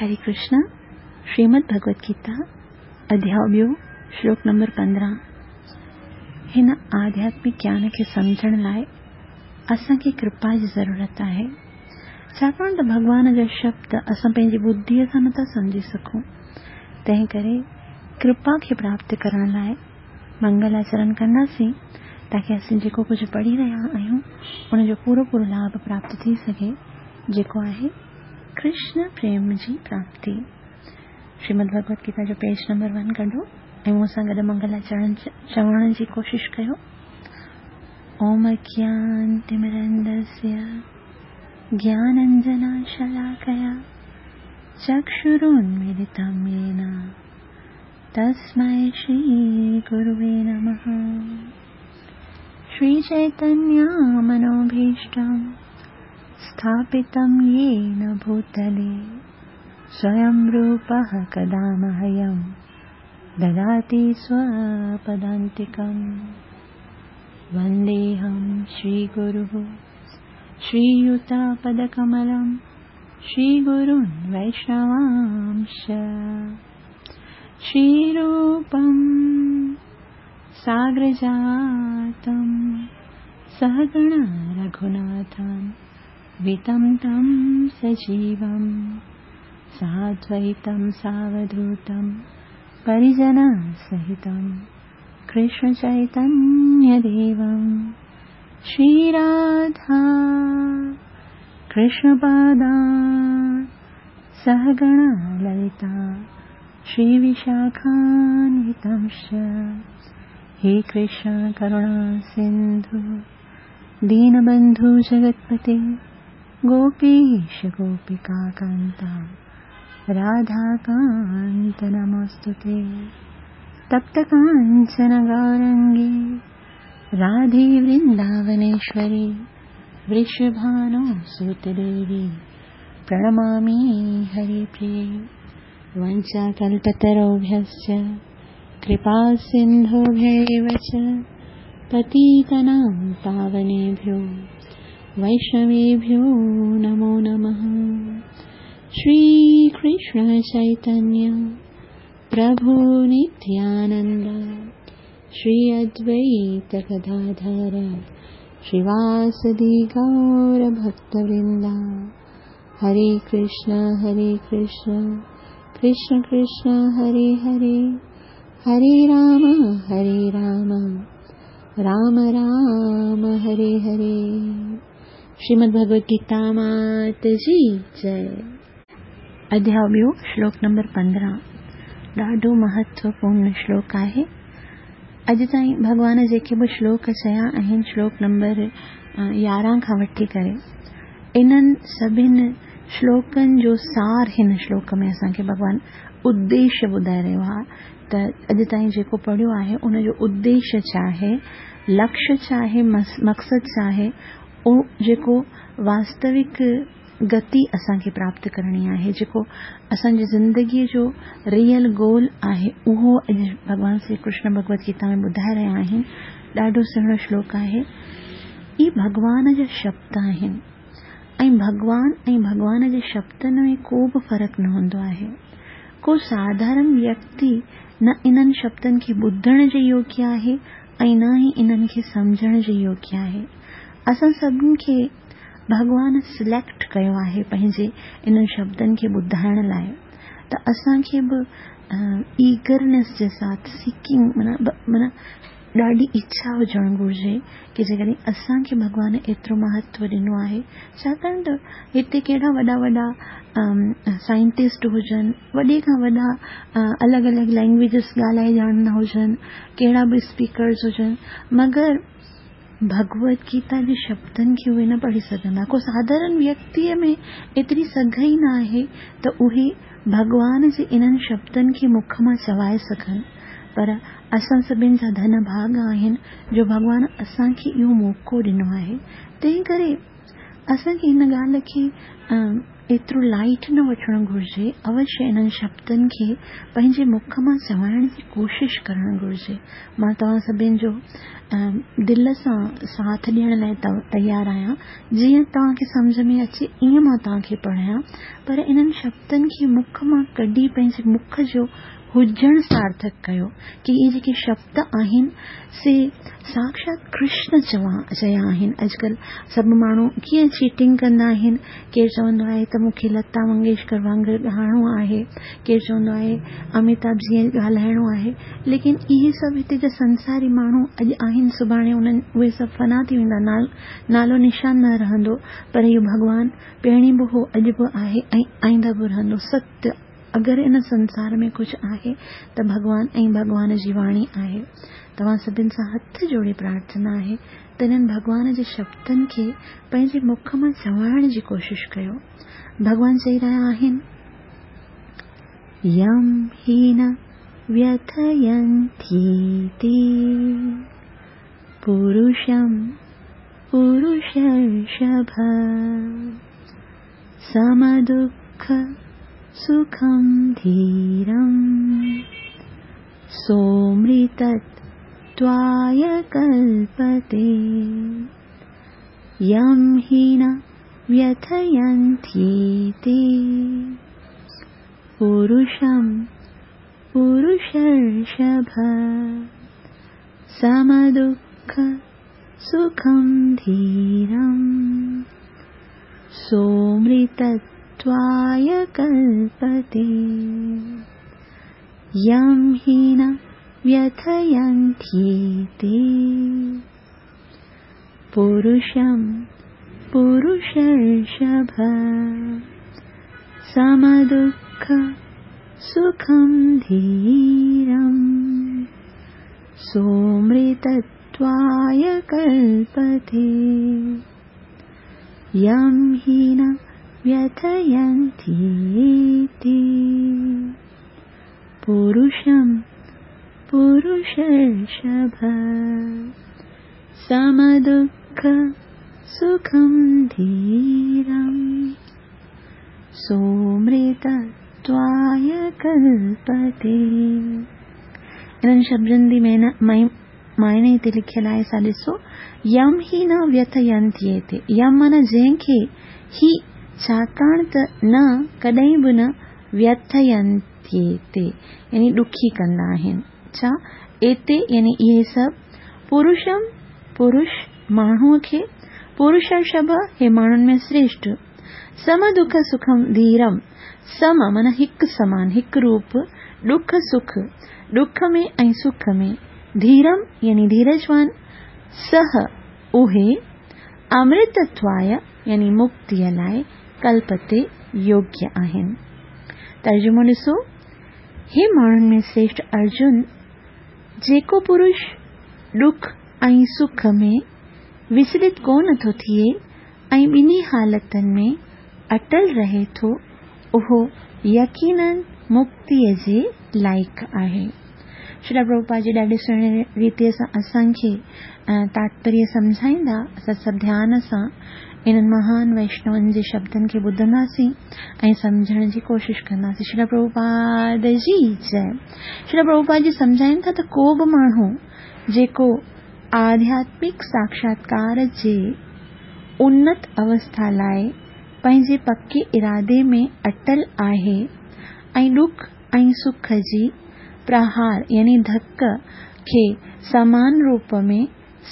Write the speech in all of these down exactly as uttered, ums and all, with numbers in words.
हरे कृष्ण। श्रीमद् भगवत गीता अध्याय ॿियो श्लोक नंबर पंद्रहं। हिन आध्यात्मिक ज्ञान खे सम्झण लाइ असांखे कृपा जी ज़रूरत आहे, छाकाणि त भॻवान जा शब्द असां पंहिंजी बुद्धीअ सां नथा सम्झी सघूं। तंहिं करे कृपा खे प्राप्त करण लाइ मंगलाचरण कंदासीं, ताकी असीं जेको कुझु पढ़ी रहिया आहियूं उनजो पूरो पूरो लाभ प्राप्त थी सघे, जेको आहे कृष्ण प्रेम जी प्राप्ति। श्रीमद् भगवत गीता जो पेज नंबर वन कढो ऐं मूंसां गॾु मंगलाचरण चवण जी कोशिशि कयो। ओम अज्ञानतिमिरन्धस्य ज्ञानाञ्जनशलाकया चक्षुरुन्मीलितं येन तस्मै श्रीगुरुवे नमः। श्रीचैतन्यमनोभीष्टं स्थापितं येन भूतले स्वयं रूपः कदा मह्यं ददाति स्वपदान्तिकं। वन्देऽहं श्रीगुरुः श्रीयुतापदकमलं श्रीगुरुन् वैष्णवांश्च। श्रीरूपं साग्रजातं सहगण रघुनाथं वितं तं सजीवं साद्वैतं सावधूतं परिजनसहितं कृष्णचैतन्यदेवं। श्रीराधा कृष्णपादान् सहगण ललिता श्रीविशाखान्वितांश्च। हे कृष्ण करुणा सिन्धु दीनबन्धु जगत्पते गोपीश गोपिकान्ता राधाकान्त नमोऽस्तुते। तप्तकाञ्चन गौरङ्गी राधे वृन्दावनेश्वरी वृषभानुसुते देवी प्रणमामि हरिप्रिये। वञ्चाकल्पतरुभ्यश्च कृपासिन्धुभ्यैव च पतितानां पावनेभ्यो वैष्णवेभ्यो नमो नमः। श्रीकृष्ण चैतन्य प्रभु नित्यानन्द श्री अद्वैत गदाधर श्रीवासदि गौरभक्तवृन्द। हरे कृष्ण हरे कृष्ण कृष्ण कृष्ण हरे हरे, हरे राम हरे राम राम राम हरे हरे। श्रीमद् भगवत गीता मात जी जय। अध्याय ॿियो श्लोक नंबर पंद्रहं ॾाढो महत्वपूर्ण श्लोक आहे। अॼु ताईं भॻवान जेके बि श्लोक चया आहिनि, श्लोक नंबर यारहं खां वठी करे इन्हनि सभिनी श्लोकनि जो सार हिन श्लोक में असांखे भॻवान उद्देश्य ॿुधाए रहियो आहे। त अॼु ताईं जेको पढ़ियो आहे उनजो उद्देश्य छा आहे, लक्ष्य छा आहे, मक़सदु छा आहे, उहो जेको वास्तविक गति असांखे प्राप्त करणी आहे, जेको असांजी ज़िंदगीअ जो रियल गोल आहे, उहो अॼु भॻवान श्री कृष्ण भगवत गीता में ॿुधाए रहिया आहिनि। ॾाढो सुहिणो श्लोक आहे। इहे भॻवान जा शब्द आहिनि ऐं भॻवान ऐं भॻवान जे शब्दनि में को बि फ़र्क़ु न हूंदो आहे। को साधारण व्यक्ति न इन्हनि शब्दनि खे ॿुधण जे योग्य आहे ऐं न ई इन्हनि खे सम्झण जे योग्य आहे। असां सभिनी खे भॻवान सिलेक्ट कयो आहे पंहिंजे इन्हनि शब्दनि खे ॿुधाइण लाइ, त असांखे बि ईगरनेस जे साथ सीकिंग माना माना ॾाढी इच्छा हुजणु घुरिजे की जेकॾहिं असांखे भॻवान एतिरो महत्व ॾिनो आहे, छाकाणि त हिते कहिड़ा वॾा वॾा साइंटिस्ट हुजनि, वॾे खां वॾा अलॻि अलॻि लैंग्वेजस ॻाल्हाए ॼाणंदा हुजनि, कहिड़ा बि स्पीकर्स हुजनि, मगर भगवत गीता जे शब्दनि खे उहे न पढ़ी सघंदा। को साधारण व्यक्तीअ में एतिरी सघ ई न आहे त उहे भॻवान जे इन्हनि शब्दनि खे मुख मां चवाए सघनि। पर असां सभिनी जा धन भाग आहिनि जो भॻवान असांखे इहो मौक़ो ॾिनो आहे। तंहिं करे असांखे हिन ॻाल्हि खे ايترو لائيٽ نه وٺڻ گهرجي. اوشيه انهن شبدن کي پنهنجي مک مان چوائڻ جي ڪوشش ڪرڻ گهرجي. مان توهان سڀني جو دل سان ساٿ ڏيڻ لاءِ تيار آهيان. جيئن توهان کي سمجهه ۾ اچي ائين مان توهان کي پڙهايان، پر انهن شبدن کي مک مان ڪڍي پنهنجي مک جو هجڻ سارٿڪ ڪيو ڪه اهي جيڪي شبد آهن سي ساڪشات ڪرشن چوا چيا آهن. اڄڪلهه سڀ ماڻهو ڪيئن چيٽنگ ڪندا آهن. ڪير چوندو آهي ته مون کي لتا منگيشڪر وانگر ڳائڻو آهي، ڪير چوندو آهي اميتاڀ جيئن ڳالهائڻو آهي. ليڪن اهي سڀ هتي جا سنساري ماڻهو اڄ آهن، سڀاڻي انهن اهي سڀ فنا ٿي ويندا، نالو نشان نه رهندو. پر اهو ڀڳوان پهرين به هو، اڄ به آهي ۽ آئنده به رهندو. ستيه اگر ان سنسار ۾ ڪجهه آهي ته ڀڳوان ۽ ڀڳوان جي واڻي آهي. توهان سڀني سان هٿ جوڙي پرارٿنا آهي ته انهن ڀڳوان جي شبدن کي پنهنجي مک مان چوائڻ جي ڪوشش ڪيو. ڀڳوان چئي رهيا آهن، يم هي نه व्यथयन्त्येते पुरुषं पुरुषर्षभ समदुःख सुखं धीरं सोमृतत्वाय कल्पते। यं हि न व्यथयन्त्येते पुरुषं पुरुषर्षभ समदुःख सुखं धीरं सोमृतत्वाय कल्पते। यं हि न व्यथयन्त्येते पुरुषं पुरुषर्षभ समदुःख सुखं धीरं सोमृतत्वाय कल्पते। यं हि न व्यथयन्त्येते पुरुषं पुरुषर्षभ समदुःख सुखं धीरं सोमृतत्वाय कल्पते। इन्हनि शब्दनि जी मायने हिते लिखियलु आहे, सा ॾिसो। यम ही न व्यथयन्त्येते, यम माना जंहिंखे, ही छाकाणि त न कॾहिं बि न, व्यथयन्त्येते यानी ॾुखी कंदा आहिनि। छा एते यानी इहे सभु, पुरुषम पुरुष माण्हूअ खे, पुरुषर्षभ हे माण्हुनि में श्रेष्ठ, सम दुख सुखम धीरम, सम माना हिकु समान हिकु रूप, दुख सुख दुख में ऐं सुख में, धीरम यानी धीरजवान, सह उहे, अमृतत्वाय यानी मुक्तीअ लाइ कल्पते योग्य आहिनि। तर्जुमो ॾिसो, हे माण्हुनि में श्रेष्ठ अर्जुन, जेको पुरुष ॾुख ऐं सुख में विचलित कोन थो थिए ऐं ॿिन्ही हालतनि में अटल रहे थो, उहो यकीनन मुक्तीअ जे लाइक़ आहे। श्रील प्रभुपाद जी ॾाढे सुहिणे रीति सां असांखे तात्पर्य सम्झाईंदा। असां सभु ध्यान सां इन्हनि महान वैष्णवनि जे शब्दनि खे ॿुधंदासीं ऐं सम्झण जी कोशिश कंदासीं। श्रील प्रभुपाद जी जय। श्रील प्रभुपाद जी सम्झाइनि था त को बि माण्हू जेको आध्यात्मिक साक्षात्कार जे उन्नत अवस्था लाइ पंहिंजे पके इरादे में अटल आहे ऐं ॾुख ऐं सुख जी प्रहार यानी धक खे समान रूप में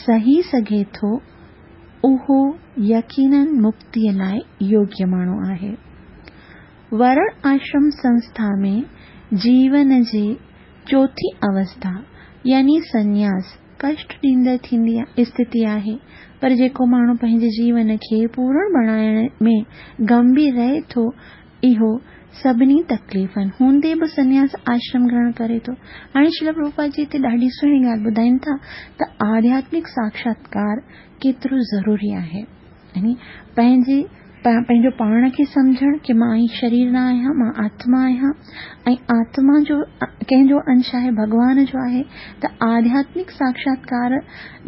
सही सघे थो, उहो यकीनन मुक्तीअ लाइ योग्य माण्हू आहे। वर्ण आश्रम संस्था में जीवन जी चौथी अवस्था यानी संन्यास कष्ट ॾींदड़ थींदी स्थिति आहे, पर जेको माण्हू पंहिंजे जीवन खे पूर्ण बणाइण में गंभीर रहे थो, इहो सभिनी तकलीफ़नि हूंदे बि संन्यास आश्रम ग्रहण करे थो। हाणे श्रील प्रभुपाद जी हिते ॾाढी सुहिणी ॻाल्हि ॿुधाइनि था त आध्यात्मिक साक्षात्कार केतिरो ज़रूरी आहे। यानी पंहिंजे पंहिंजो पाण खे सम्झणु की मां ई शरीर न आहियां, मां आत्मा आहियां ऐं आत्मा जो कंहिंजो अंश आहे, भॻवान जो आहे। त आध्यात्मिक साक्षात्कार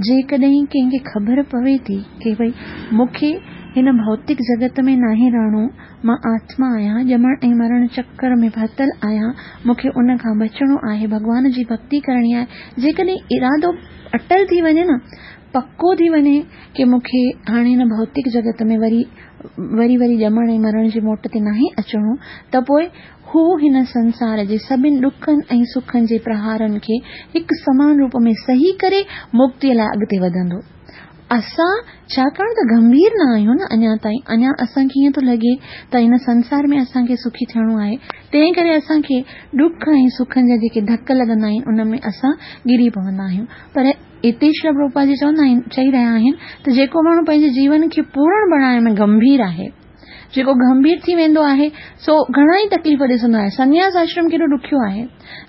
जेकॾहिं कंहिंखे ख़बर पवे थी की भई मूंखे हिन भौतिक जगत में नाहे रहणो, मां आत्मा आहियां, ॼमण ऐं मरण चक्कर में फाथल आहियां, मूंखे उन खां बचिणो आहे, भॻवान जी भक्ति करणी आहे। जेकॾहिं इरादो अटल थी वञे न, पको थी वञे की मूंखे हाणे हिन भौतिक जगत में वरी वरी वरी ॼमण ऐं मरण जी मोट ते नाहे अचिणो, त पोइ हू हिन संसार जे सभिनी ॾुखनि ऐं सुखनि जे प्रहारनि खे हिकु समान रूप में सही करे मुक्तीअ लाइ अॻिते वधंदो। असां छाकाणि त गंभीर न आहियूं न अञा ताईं, अञा असांखे ईअं थो लॻे त हिन संसार में असांखे सुखी थियणो आहे, तंहिं करे असांखे ॾुख ऐं सुखनि जा जेके धक लॻंदा आहिनि उन में असां गिरी पवंदा आहियूं। पर हिते श्री प्रभुपाद जी चवंदा आहिनि, चई रहिया आहिनि त जेको माण्हू पंहिंजे जीवन खे पूर्ण बणाइण में गंभीर आहे, जेको गंभीर थी वेंदो आहे सो घणा ई तकलीफ़ ॾिसंदो आहे। सन्यास आश्रम केॾो ॾुखियो आहे।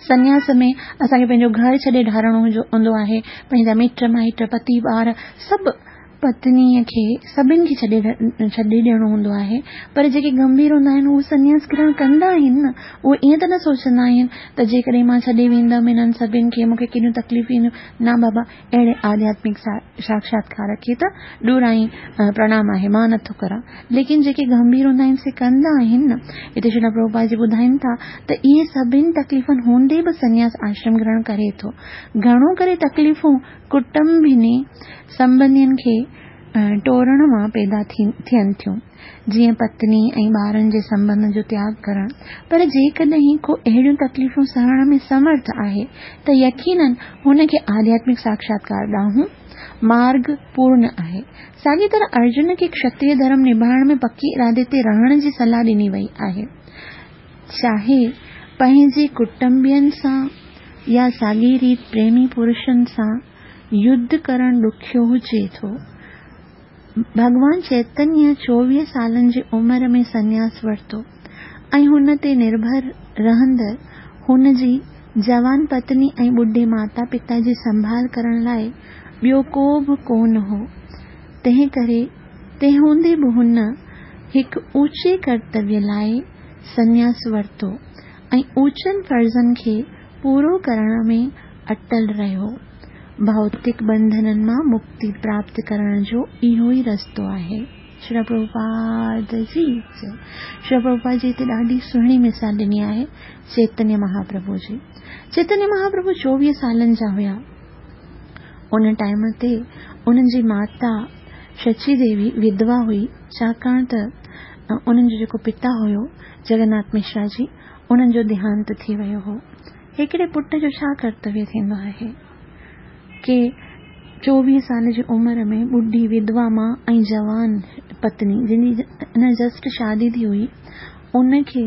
सन्यास में असांखे पंहिंजो घर छॾे ढारणो हूंदो आहे, पंहिंजा मिट माइट पति ॿार सभु पत्नीअ खे सभिनी खे छॾे छॾे ॾियणो हूंदो आहे। पर जेके गंभीर हूंदा आहिनि उहे सन्यास ग्रहण कंदा आहिनि न, उहे ईअं त न सोचंदा आहिनि त जेकॾहिं मां छॾे वेंदमि हिननि सभिनी खे मूंखे केॾियूं तकलीफ़ ईंदियूं। न बाबा, अहिड़े आध्यात्मिक साक्षात्कार खे त ॾुराई प्रणाम आहे, मां नथो करां। लेकिन जेके गंभीर हूंदा आहिनि से कंदा आहिनि न। हिते श्री प्रभुपाद जी ॿुधाइनि था त इहे सभिनी तकलीफ़नि हूंदे बि सन्यास आश्रम ग्रहण करे थो। घणो करे तकलीफ़ूं कुटुंबिनी संबंधियुनि खे टोरण मां पैदा थियनि थियूं, जीअं पत्नी ऐं ॿारनि जे संबंध जो त्याग करणु। पर जेकॾहिं को अहिड़ियूं तकलीफ़ूं सहण में समर्थ आहे त यकीनन हुनखे आध्यात्मिक साक्षात्कार ॾांहुं मार्ग पूर्ण आहे। साॻी तरह अर्जुन खे क्षत्रिय धर्म निभाइण में पकी इरादे ते रहण जी सलाह ॾिनी वई आहे, चाहे पंहिंजे कुटुंबियुनि सां या साॻी रीति प्रेमी पुरुषनि सां युद्ध करणु ॾुखियो हुजे थो। भॻवान चैतन्य चोवीह सालनि जी उमिरि में सन्यास वरितो ऐं हुन ते निर्भर रहंदड़ हुन जी जवान पत्नी ऐं ॿुढे माता पिता जी संभाल करण लाइ ॿियो को बि कोन हो। तंहिं करे तंहिं हूंदे बि हुन हिकु ऊंचे कर्तव्य लाइ सन्यास वरितो ऐं ऊंचनि फ़र्ज़नि खे पूरो करण में अटल रहियो। भौतिक बंधननि मां मुक्ति प्राप्त करण जो इहो ई रस्तो आहे। श्री प्रभुपाद जी श्री प्रभुपाद जी हिते ॾाढी सुहिणी मिसाल ॾिनी आहे चैतन्य महाप्रभु जी। चैतन्य महाप्रभु चोवीह सालनि जा हुया। उन टाइम ते उन्हनि जी माता शची देवी विधवा हुई, छाकाणि त उन्हनि जो जेको पिता हुयो जगन्नाथ मिश्रा जी, उन्हनि जो देहांत थी वियो हो। हिकिड़े पुट जो छा कर्तव्य थींदो आहे की चोवीह साल जी उमिरि में ॿुढी विधवा मां ऐं जवान पत्नी जंहिंजी अञा जस्ट शादी थी हुई, उनखे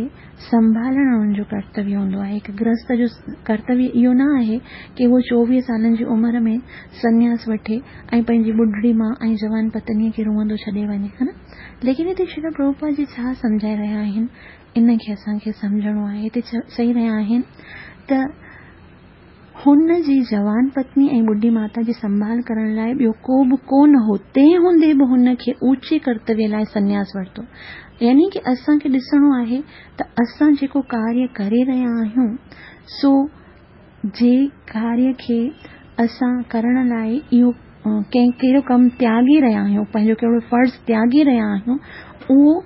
संभालणु हुनजो कर्तव्य हूंदो आहे। हिकु गृहस्थ जो कर्तव्य इहो न आहे की उहो चोवीह सालनि जी उमिरि में सन्यास वठे ऐं पंहिंजी ॿुढड़ी मां ऐं जवान पत्नीअ खे रुअंदो छॾे वञे, हा न। लेकिन हिते श्री प्रभुपाद जी छा सम्झाए रहिया आहिनि इन खे असांखे सम्झणो आहे। हिते चई रहिया आहिनि त हुन जी जवान पत्नी ऐं ॿुढी माता जी संभाल करण लाइ ॿियो को बि कोन हो, तंहिं हूंदे बि हुनखे ऊंचे कर्तव्य लाइ सन्यास वरितो। यानी की असांखे ॾिसणो आहे त असां जेको कार्य करे रहिया आहियूं सो जे कार्य खे असां करण लाइ इहो कंहिं कहिड़ो कमु त्यागी रहिया आहियूं, पंहिंजो कहिड़ो फ़र्ज़ त्यागी रहिया आहियूं, उहो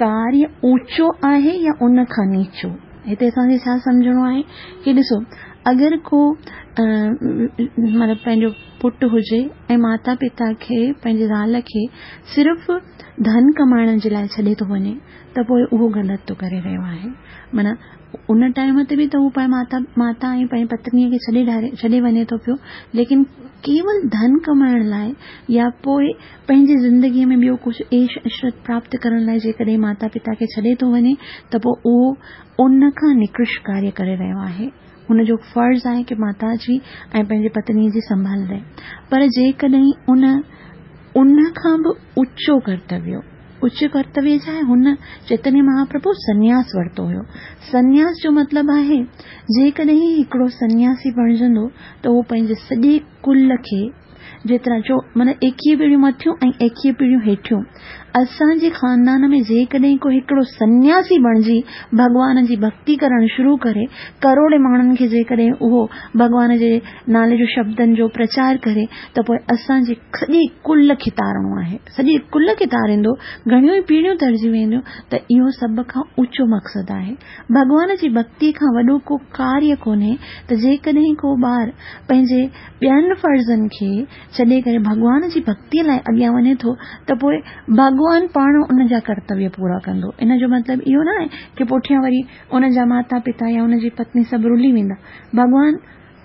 कार्य ऊंचो आहे या उन खां नीचो। हिते असांखे छा सम्झणो आहे की ॾिसो, अगरि को मतिलबु पंहिंजो पुटु हुजे ऐं माता पिता खे पंहिंजी ज़ाल खे सिर्फ़ु धन कमाइण जे लाइ छॾे थो वञे त पोइ उहो ग़लति थो करे रहियो आहे। माना उन टाइम ते बि त उहो पंहिंजी माता माता ऐं पंहिंजी पत्नीअ खे छॾे ढारे छॾे वञे थो पियो, लेकिन केवल धन कमाइण लाइ या पोइ पंहिंजी ज़िंदगीअ में ॿियो कुझु ऐश इशरत प्राप्त करण लाइ जेकॾहिं माता पिता खे छॾे थो वञे त पोइ उहो उन खां निकृष्ट कार्य करे रहियो आहे। हुनजो फ़र्ज़ आहे की माता जी ऐं पंहिंजी पत्नीअ जी संभाल रहे। पर जेकॾहिं उन उन खां बि ऊंचो कर्तव्य, उच्च कर्तव्य छा आहे, हुन चैतन्य महाप्रभु सन्यास वरितो हुयो। सन्यास जो मतिलबु आहे जेकॾहिं हिकिड़ो सन्यासी बणिजंदो त उहो पंहिंजे सॼे कुल खे जेतिरा जो माना एकवीह पीढ़ियूं मथियूं ऐं एकवीह पीढ़ियूं हेठियूं असांजे ख़ानदान में जेकॾहिं को हिकिड़ो सन्यासी बणिजी भॻवान जी भक्ति करणु शुरू करे, करोड़े माण्हुनि खे जेकॾहिं उहो भॻवान जे नाले जो शब्दनि जो प्रचार करे, त पोइ असांजे सॼे कुल खे तारणो आहे। सॼे कुल खे तारींदो, घणियूं ई पीढ़ियूं तरिजी वेंदियूं। त इहो सभ खां ऊंचो मक़सदु आहे। भॻवान जी भक्ति खां वॾो को कार्य कोन्हे। त जेकॾहिं को ॿार पंहिंजे ॿियनि फ़र्ज़नि खे छॾे करे भॻवान जी भक्तीअ लाइ अॻियां वञे थो, त पोइ भॻवान पाण उन जा कर्तव्य पूरा कंदो। इन जो मतिलबु इहो न आहे की पुठियां वरी उन जा माता पिता या उन जी पत्नी सभु रुली वेंदा। भॻवान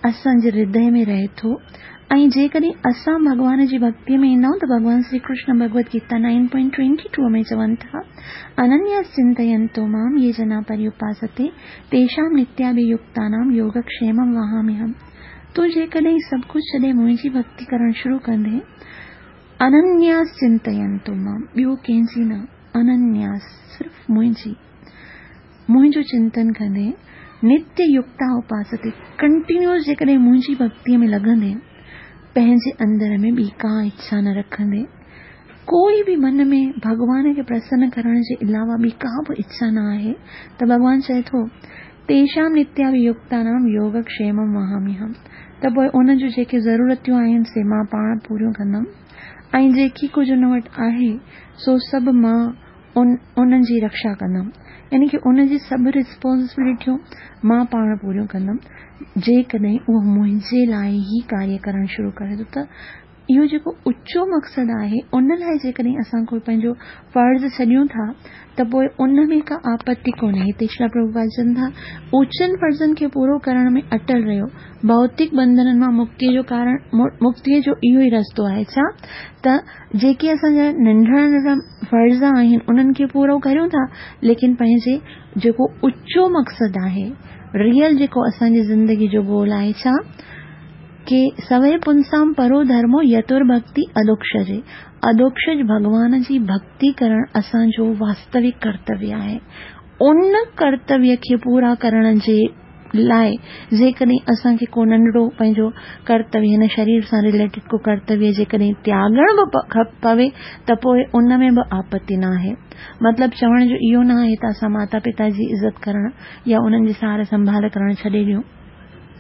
असांजे हृदय में रहे थो ऐं जेकॾहिं असां भॻवान जी भक्तीअ में ईंदा आहियूं त भॻवान Shri Krishna Bhagavad Gita nine point twenty two में चवनि था, अनन्या चिंतयन्तो मां ये जना पर्युपासते तेषां नित्याभियुक्तानां योगक्षेमं वहाम्यहम्। तूं जेकॾहिं सभु कुझु छॾे मुंहिंजी भक्ति करणु शुरू कंदे, अनन्यास चिंतयन्तो मां, ॿियो कंहिंजी न, अनन्यास सिर्फ़ मुंहिंजी, मुंहिंजो चिंतन कंदे, नित्य युक्ता उपासते, कंटिन्यूअस जेकॾहिं मुंहिंजी भक्तीअ में लॻंदे, पंहिंजे अंदर में ॿी का इच्छा न रखंदे, कोई बि मन में भॻवान खे प्रसन्न करण जे अलावा ॿी का बि इच्छा न आहे, त भॻवान चए थो तेषां नित्याभियुक्तानां योगक्षेमं वहाम्यहम्। त पोइ उन जूं जेके ज़रूरतियूं आहिनि से मां पाण पूरियूं कंदमि ऐं जेकी कुझु उन वटि आहे सो सभु मां उन उन्हनि जी रक्षा कंदमि। यानी की उन जी सभु रिस्पॉन्सिबिलिटियूं मां पाण पूरियूं कंदमि। जेकॾहिं उहो मुंहिंजे लाइ ई कार्य करणु शुरू करे थो, त इहो जेको उचो मक़सदु आहे उन लाइ जेकॾहिं असां को पंहिंजो फ़र्ज़ छॾियूं था, त पोइ उन में का आपत्ति कोन्हे। हिते श्रील प्रभुपाद चवनि था, ऊचनि फ़र्ज़नि खे पूरो करण में अटल रहियो। भौतिक बंधननि मां मुक्तीअ जो कारण, मुक्तीअ जो इहो ई रस्तो आहे। छा त जेके असांजा नंढा नंढा फ़र्ज़ आहिनि उन्हनि खे पूरो करियूं था, लेकिन पंहिंजे जेको उचो मक़सदु आहे, रियल जेको असांजी ज़िंदगी जो गोल आहे, छा के सवै पुंसां परो धर्मो यतुर्भक्ति अदोक्षजे, अदोक्षज भॻवान जी भक्ति करण असांजो वास्तविक कर्तव्य आहे। उन कर्तव्य खे पूरा करण जे लाइ जेकॾहिं असांखे को नंढड़ो पंहिंजो कर्तव्य, हिन शरीर सां रिलेटेड को कर्तव्य जेकॾहिं त्यागणु बि पवे, त पोइ उन में बि आपत्ति न आहे। मतिलबु चवण जो इहो न आहे त असां माता पिता जी इज़त करण या उन्हनि जी सार संभाल करण छॾे ॾियूं।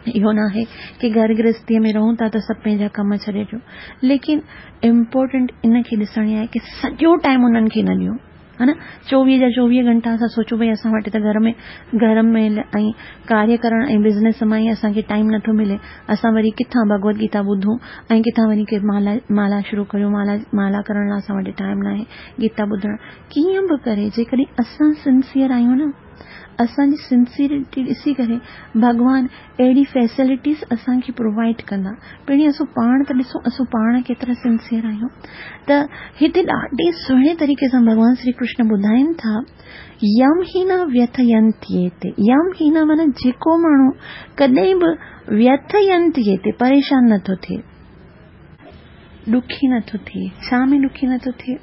इहो न आहे की घर गृहस्थीअ में रहूं था त सभु पंहिंजा कम छॾे ॾियूं, लेकिन इम्पोर्टेंट इन खे ॾिसणी आहे की सॼो टाइम उन्हनि खे न ॾियूं, हा न। चोवीह जा चोवीह घंटा असां सोचूं भई असां वटि त घर में घर में ऐं कार्य करण ऐं बिज़नेस मां ई असांखे टाइम नथो मिले, असां वरी किथां भगवत गीता ॿुधूं ऐं किथां वञी करे माला माला शुरू करियूं, माला माला करण लाइ असां वटि टाइम न आहे, गीता ॿुधण। कीअं बि करे जेकॾहिं असां सिंसियर आहियूं न, असांजी सिंसियरिटी ॾिसी करे भॻवान अहिड़ी फैसिलिटीज़ असांखे प्रोवाइड कंदा। पहिरीं असां पाण त ॾिसूं असां पाण केतिरा सिंसियर आहियूं। त हिते ॾाढे सुहिणे तरीक़े सां भॻवान श्री कृष्ण ॿुधाइनि था, यम ही न व्यथयन्त्येते। यम ही न माना जेको माण्हू कॾहिं बि व्यथयन्त्येते, परेशान नथो थिए, ॾुखी नथो थिए। छा में ॾुखी नथो थिए?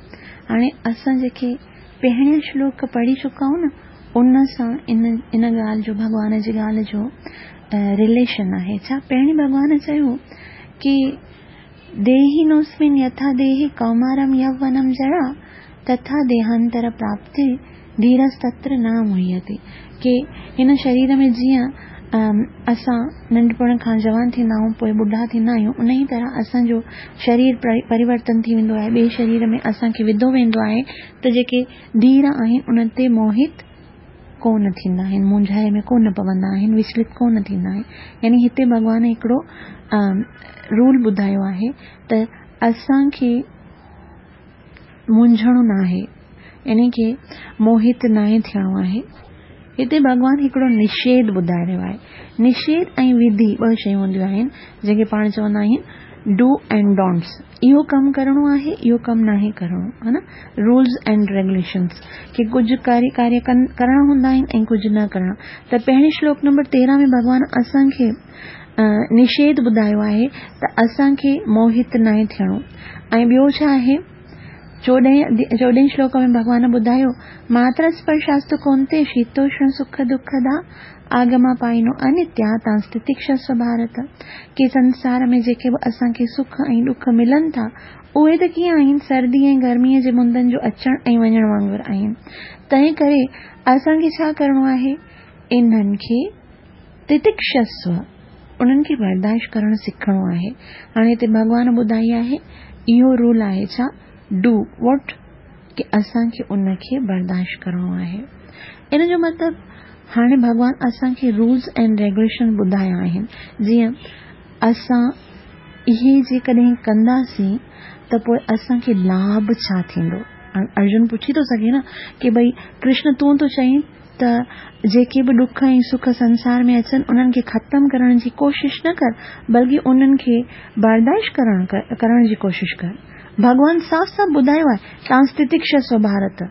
हाणे असां जेके पहिरियां श्लोक पढ़ी चुका आहियूं न, उन सां इन इन ॻाल्हि जो भॻवान जी ॻाल्हि जो रिलेशन आहे। छा पहिरीं भॻवान चयो की देहिनोस्मिन् यथा देहे कौमारं यौवनं जरा तथा देहांतर प्राप्ति धीरस्तत्र न मुह्यते। की हिन शरीर में जीअं असां नंढपण खां जवान थींदा आहियूं, पोइ ॿुढा थींदा आहियूं, उन ई तरह असांजो शरीर परिवर्तन थी वेंदो आहे, ॿिए शरीर में असांखे विधो वेंदो आहे। त जेके धीर आहिनि उन्हनि ते मोहित कोन थींदा आहिनि, मुंझाए में कोन पवंदा आहिनि, विचलित कोन थींदा आहिनि। यानी हिते भॻवान हिकिड़ो रूल ॿुधायो आहे त असांखे मुंझणो न आहे, यानी की मोहित नाहे थियणो आहे। हिते भॻवान हिकिड़ो निषेध ॿुधाए रहियो आहे। निषेध ऐं विधि ॿ शयूं हूंदियूं आहिनि, जंहिंखे पाण चवंदा आहिनि do and don'ts. इहो कमु करिणो आहे, इहो कमु नाहे करिणो, हा न। रूल्स एंड रेगुलेशंस की कुझु कार्य कार्य करणा हूंदा आहिनि ऐं कुझु न करणा। त पहिरीं श्लोक नंबर तेरहं में भॻवान असांखे निषेध ॿुधायो आहे त असांखे मोहित नाहे थियणो। ऐं ॿियो छा आहे चोॾहें चोॾहें श्लोक में भॻवान ॿुधायो, मात्रा स्पर्शास्तु कौन्तेय शीतोष्ण सुख दुःखदा आगमा पाइनो अनित्या तांस्तितिक्षस्व भारत। के संसार में जेके बि असांखे सुख ऐं ॾुख मिलनि था उहे त कीअं आहिनि? सर्दी ऐं गर्मीअ जे मुंदनि जो अचण ऐं वञण वांगुरु आहिनि। तंहिं करे असांखे छा करिणो आहे? इन्हनि खे तितिक्षस्व, उन्हनि खे बर्दाश्त करणु सिखणो आहे। हाणे हिते भॻवान ॿुधाई आहे, इहो रूल आहे छा? Do what, की असांखे उनखे बर्दाश्त करिणो आहे। इन जो मतिलबु हाणे भॻवान असांखे रूल्स एंड रेगुलेशन ॿुधाया आहिनि, जीअं असां इहे जेकॾहिं कंदासीं त पोइ असांखे लाभ छा थींदो? अर्जुन पुछी थो सघे न की भई कृष्ण तूं थो चईं त जेके बि ॾुख ऐं सुख संसार में अचनि उन्हनि खे ख़तमु करण जी कोशिश न कर, बल्कि उन्हनि खे बर्दाश्त करण करण जी कोशिश कर। भॻवान साफ़ साफ़ ॿुधायो आहे, तांस्तितिक्षस्व भारत,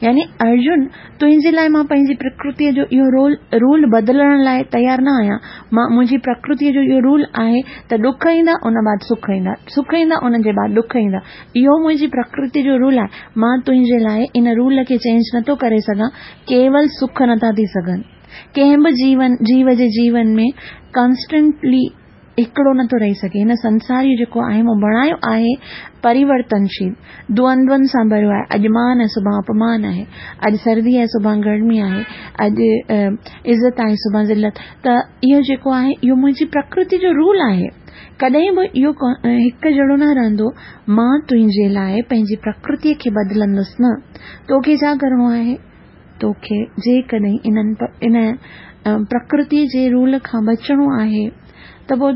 यानी अर्जुन तुंहिंजे लाइ मां पंहिंजी प्रकृतीअ जो इहो रोल रूल बदिलण लाइ तयारु न आहियां। मां मुंहिंजी प्रकृतीअ जो इहो रूल आहे त ॾुख ईंदा उन बाद सुख ईंदा, सुख ईंदा उन जे बाद ॾुख ईंदा, इहो मुंहिंजी प्रकृति जो रूल आहे। मां तुंहिंजे लाइ इन रूल खे चेंज नथो करे सघां। केवल सुख नथा थी सघनि, कंहिं बि जीवन जीव जे जीवन में कॉन्स्टेंटली हिकिड़ो नथो रही सघे। हिन संसार जेको आहे उहो बणायो आहे परिवर्तनशील, द्वंद्वनि सां भरियो आहे। अॼु मान आहे सुभाणे अपमान आहे, अॼु सर्दी आहे सुभाणे गर्मी आहे, अॼु इज़त आहे सुभाणे ज़िलत। त इहो जेको आहे इहो मुंहिंजी प्रकृति जो रूल आहे, कॾहिं बि इहो हिकु जहिड़ो न रहंदो। मां तुंहिंजे लाइ पंहिंजी प्रकृतीअ खे बदिलंदुसि न। तोखे छा करिणो आहे? तोखे जेकॾहिं इन्हनि इन प्रकृति जे रूल खां बचिणो आहे त पोइ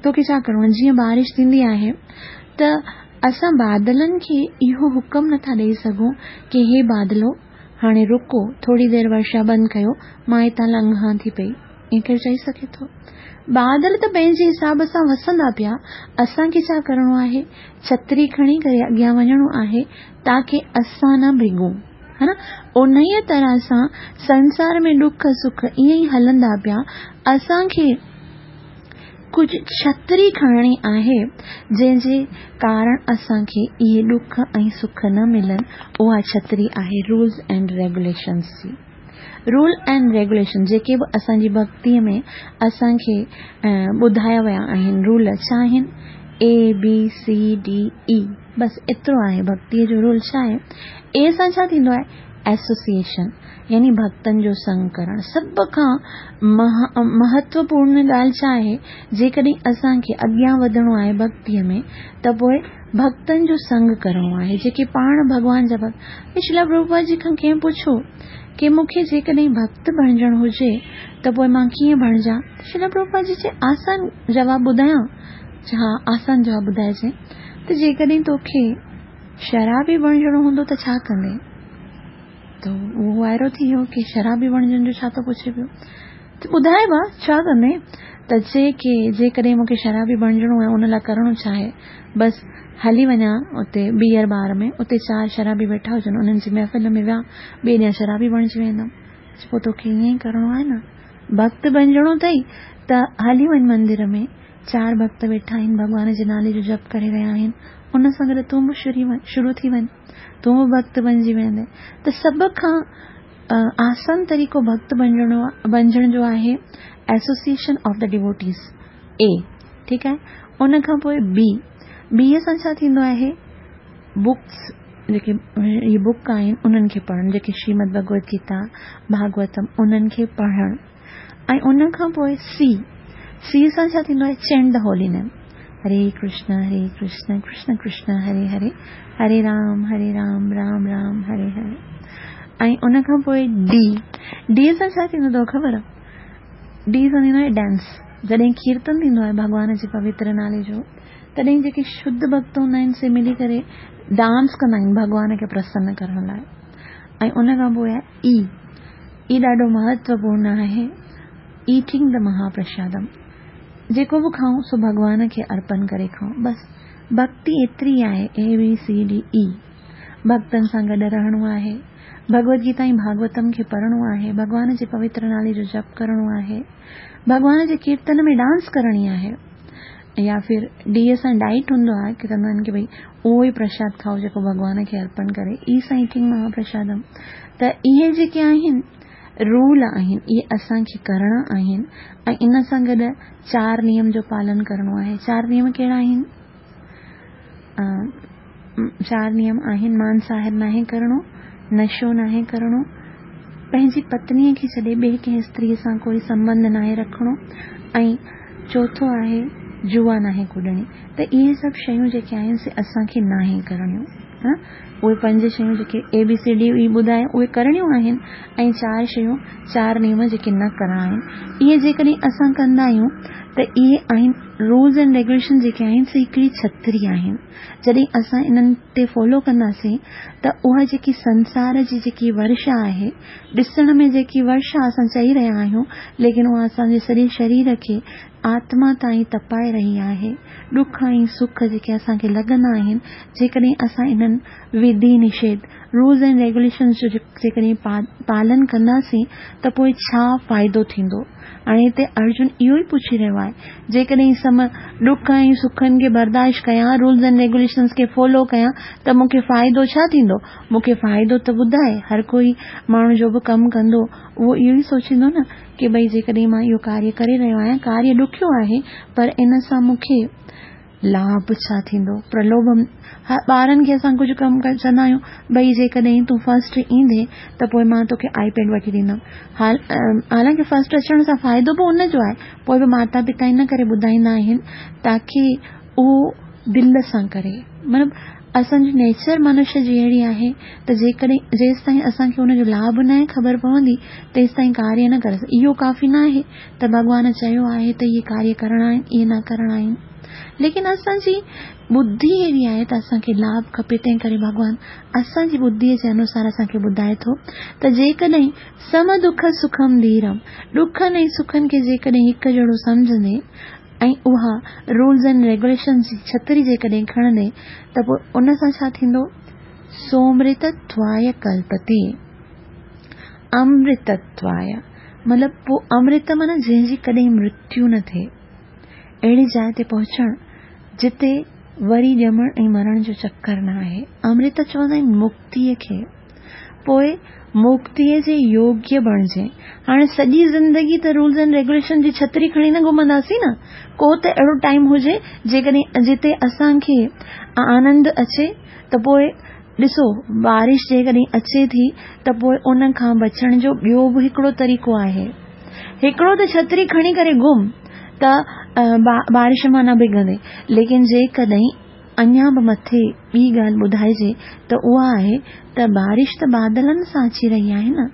तोखे छा करिणो आहे? जीअं बारिश थींदी आहे त असां बादलनि खे इहो हुकम नथा ॾेई सघूं की हे बादलो हाणे रुको, थोरी देरि वर्षा बंदि कयो, मां हितां लंघां थी पई। ईअं केरु चई सघे थो? बादल त पंहिंजे हिसाब सां वसंदा पिया, असांखे छा करिणो आहे? छतरी खणी करे अॻियां वञिणो आहे ताकी असां न भिगूं, है न? उन्हीअ तरह सां संसार में ॾुख सुख ईअं ई हलंदा पिया, असांखे कुझु छतरी खणणी आहे जंहिंजे कारण असांखे इहे ॾुख ऐं सुख न मिलनि। उहा छतरी आहे रूल्स एंड रेगुलेशंस जी। रूल एंड रेगुलेशन जेके बि असांजी भक्तीअ में असांखे ॿुधाया विया आहिनि, रूल छा आहिनि? A B C D E, बसि एतिरो आहे भक्तीअ जो रूल। छा आहे? ए सां छा थींदो आहे? एसोसिएशन, यानी भक्तनि जो संग करणु। सभ खां महत्वपूर्ण ॻाल्हि छा आहे? जेकॾहिं असांखे अॻियां वधणो आहे भक्तीअ में त पोइ भक्तनि जो संग करिणो आहे, जेके पाण भॻवान जा भक्त। श्रील प्रभुपाद जी खां कंहिं पुछियो की मूंखे जेकॾहिं भक्त बणिजणु हुजे त पोइ मां कीअं बणिजां? श्रील प्रभुपाद जी चए आसान जवाबु ॿुधायां? हा, आसान जवाबु ॿुधाइजे त जेकॾहिं तोखे शराबी बणिजणो हूंदो त छा कंदे? त उहो वायरो थी वियो की शराबी बणिजण जो छा थो पुछे पियो, त ॿुधाए बा छा कंदे? त चए की जेकॾहिं मूंखे शराबी बणिजणो आहे उन लाइ करिणो छा आहे? बसि हली वञा उते बियर बार में, उते चारि शराबी वेठा हुजनि, उन्हनि जी महफ़िल में विया, ॿिए ॾींहुं शराबी बणिजी वेंदमि। पोइ तोखे ईअं ई करिणो आहे न, भक्त बणिजणो अथई त हली वञ मंदिर में, चारि भक्त वेठा आहिनि, भॻवान जे नाले जो जप करे रहिया आहिनि, उन सां गॾु तूं बि शुरू थी वञ, तूं बि भक्त बणिजी वेंदे। त सभ खां आसान तरीक़ो भक्त बणिजणो बणिजण जो आहे एसोसिएशन ऑफ the devotees, ए, ठीकु आहे। उन खां पोइ बी, बीअ सां छा थींदो आहे? बुक्स, जेके इहे बुक आहिनि उन्हनि खे पढ़णु, जेके श्रीमद भगवत गीता, भागवतम, उन्हनि खे पढ़णु। ऐं उन खां पोइ सी, सी सां छा थींदो आहे? Chant the holy name, Hare Krishna Hare Krishna Krishna Krishna Hare Hare, Hare Ram Hare Ram Ram Ram Hare Hare. ऐं उन खां पोइ डी, डी सां छा थींदो अथव ख़बर आहे? डी सां थींदो आहे डांस। जॾहिं कीर्तन थींदो आहे भॻवान जे पवित्र नाले जो, तॾहिं जेके शुद्ध भक्त हूंदा आहिनि से मिली करे डांस कंदा आहिनि भॻवान खे प्रसन्न करण लाइ। ऐं उन खां पोइ आहे ई, ई ॾाढो महत्वपूर्ण आहे, ईटिंग the महाप्रसादम, जेको बि खाऊं सो भॻवान खे अर्पण करे खाऊं। बसि भक्ति एतिरी आहे, A B C D E. भक्तनि सां गॾु रहणो आहे, भगवत गीता ऐं भागवतम खे पढ़णो आहे, भॻवान जे पवित्र नाले जो जप करिणो आहे, भॻवान जे कीर्तन में डांस करणी आहे يا ڦر ڊيء سان ڊائيٽ هوندو آهي ڪه چوندا آهن ڪه ڀئي اهو ئي پرشاد کائو جيڪو ڀڳوان کي ارپڻ ڪري، اي سان ايٽنگ مهاپرشادم. ته اهي جيڪي آهن رول آهن، اهي اسان کي ڪرڻا آهن ۽ ان سان گڏ چار نيم جو پالن ڪرڻو آهي. چار نيم ڪهڙا آهن؟ چار نيم آهن، مانساهر ناهي ڪرڻو، نشو ناهي ڪرڻو، پنهنجي پتنيء کي ڇڏي ٻئي ڪنهن استريء سان ڪوئي سنٻنڌ ناهي رکڻو ۽ چوٿون آهي جوا ناهي ڪڏڻي. ته اهي سڀ شيون جيڪي آهن سي اسان کي ناهي ڪرڻيون. اهي پنج شيون جيڪي اي بي سي ڊي اي ٻڌايا اهي ڪرڻيون آهن ۽ چار شيون چار نيم جيڪي نه ڪرڻا آهن، اهي جيڪڏهن اسان ڪندا آهيون ته اهي آهن رولز اينڊ ريگوليشن جيڪي آهن سي هڪڙي ڇتري آهن. جڏهن اسان انهن تي فالو ڪنداسين ته اها جيڪي سنسار جي جيڪي ورشا آهي، ڏسڻ ۾ جيڪي ورشا اسان چئي رهيا آهيون، ليڪن اها اسان جي سڄي شرير کي آتما تائين تپائي رهي آهي. ڏک ۽ سک جيڪي اسان کي لڳندا آهن، جيڪڏهن اسان انهن وڌي نشيڌ، رولز اينڊ ريگوليشنز جو جيڪڏهن پالن ڪنداسين ته پوء ڇا فائدو ٿيندو؟ هاڻي هتي ارجن اهو ئي پڇي رهيو آهي، جيڪڏهن سم ڏک ۽ سکن کي برداشت ڪيان، رولز اينڊ ريگوليشنز کي فالو ڪيان ته مون کي فائدو ڇا ٿيندو؟ مون کي فائدو ته ٻڌاء. هر ڪوئي ماڻهو جو به ڪم ڪندو اهو اهو ئي سوچيندو نه ڪه ڀئي جيڪڏهن مان اهو ڪاريه ڪري رهيو آهيان، ڪاريه ڏکيو آهي پر ان سان مون کي لاڀ ڇا ٿيندو؟ پرلوڀ ٻارن کي اسان ڪجهه ڪم چوندا آهيون ڀئي جيڪڏهن تون فرسٽ ايندين ته پوء مان توکي آئي پيڊ وٺي ڏيندم. حالانڪه فرسٽ اچڻ سان فائدو به ان جو آهي، پوء به ماتا پتا ان ڪري ٻڌائيندا آهن تاڪه اهو دل سان ڪري. مطلب اسان جي نيچر منشيه جي اهڙي آهي ته جيڪڏهن جيستائين اسان کي ان جو لاڀ ناهي خبر پوندي تيستائين ڪاريه نه ڪري. اهو ڪافي ناهي ته ڀڳوان چيو آهي ته اهي ڪاريه ڪرڻا آهن، اهي نه ڪرڻا آهن، ليڪن اسان جي ٻڌي اهڙي آهي ته اسان کي لاڀ کپي. تنهن ڪري ڀڳوان اسان جي ٻڌيء جي انوسار اسان کي ٻڌائي ٿو ته جيڪڏهن سم دک سکم ڌيرم، ڏکن ۽ سکن کي جيڪڏهن هڪ جهڙو سمجهندي ۽ اها رولز اينڊ ريگوليشنز جي ڇتري جيڪڏهن کڻندي ته پوء ان سان ڇا ٿيندو؟ سومرتتواي ڪلپتي، امرتتواي مطلب پوء امرت معنيٰ جنهن جي ڪڏهن مرتيو نه ٿئي، اهڙي جاء تي پهچڻ جتي وري ڄمڻ ۽ مرڻ جو چڪر نه آهي. امرت چوندا آهن مڪتيء کي. پوء مڪتيء جي يوگيه بڻجي. هاڻي سڄي زندگي ته رولز اينڊ ريگوليشن جي ڇتري کڻي نه گهمنداسين نه. ڪو ته اهڙو ٽائيم هجي جيڪڏهن جتي اسان کي آنند اچي ته پوء ڏسو بارش جيڪڏهن اچي ٿي ته پوء ان کان بچڻ جو ٻيو به هڪڙو طريقو آهي. هڪڙو ته ڇتري کڻي ڪري گهم ته بارش مان نه ڀڳندي، ليڪن جيڪڏهن اڃا به مٿي ٻي ڳالهه ٻڌائجي ته اها آهي ته بارش ته بادلن سان اچي رهي آهي نه.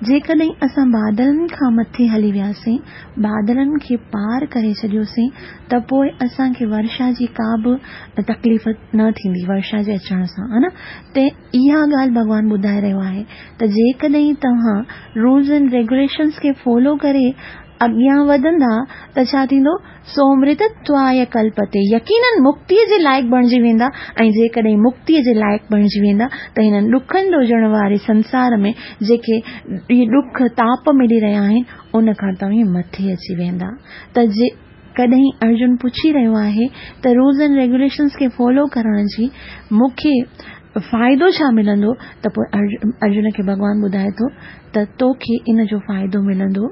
جيڪڏهن اسان بادلن کان مٿي هلي وياسين، بادلن کي پار ڪري ڇڏيوسين ته پوء اسان کي ورشا جي ڪا به تڪليف نه ٿيندي ورشا جي اچڻ سان، ها نه. ته اها ڳالهه ڀڳوان ٻڌائي رهيو آهي ته جيڪڏهن توهان رولز اينڊ ريگوليشنز کي فالو ڪري اڳيان وڌندا ته ڇا ٿيندو؟ سومرتتواي ڪلپتي، يقينن مڪتيء جي لائق بڻجي ويندا ۽ جيڪڏهن مڪتيء جي لائق بڻجي ويندا ته هنن ڏکن ڏوجهڻ واري سنسار ۾ جيڪي اهي ڏک تاپ ملي رهيا آهن ان کان توهين مٿي اچي ويندا. ته جي ڪڏهن ارجن پڇي رهيو آهي ته رولز اينڊ ريگوليشنز کي فالو ڪرڻ جي مون کي فائدو ڇا ملندو ته پوء ارجن کي ڀڳوان ٻڌائي ٿو ته توکي ان جو فائدو ملندو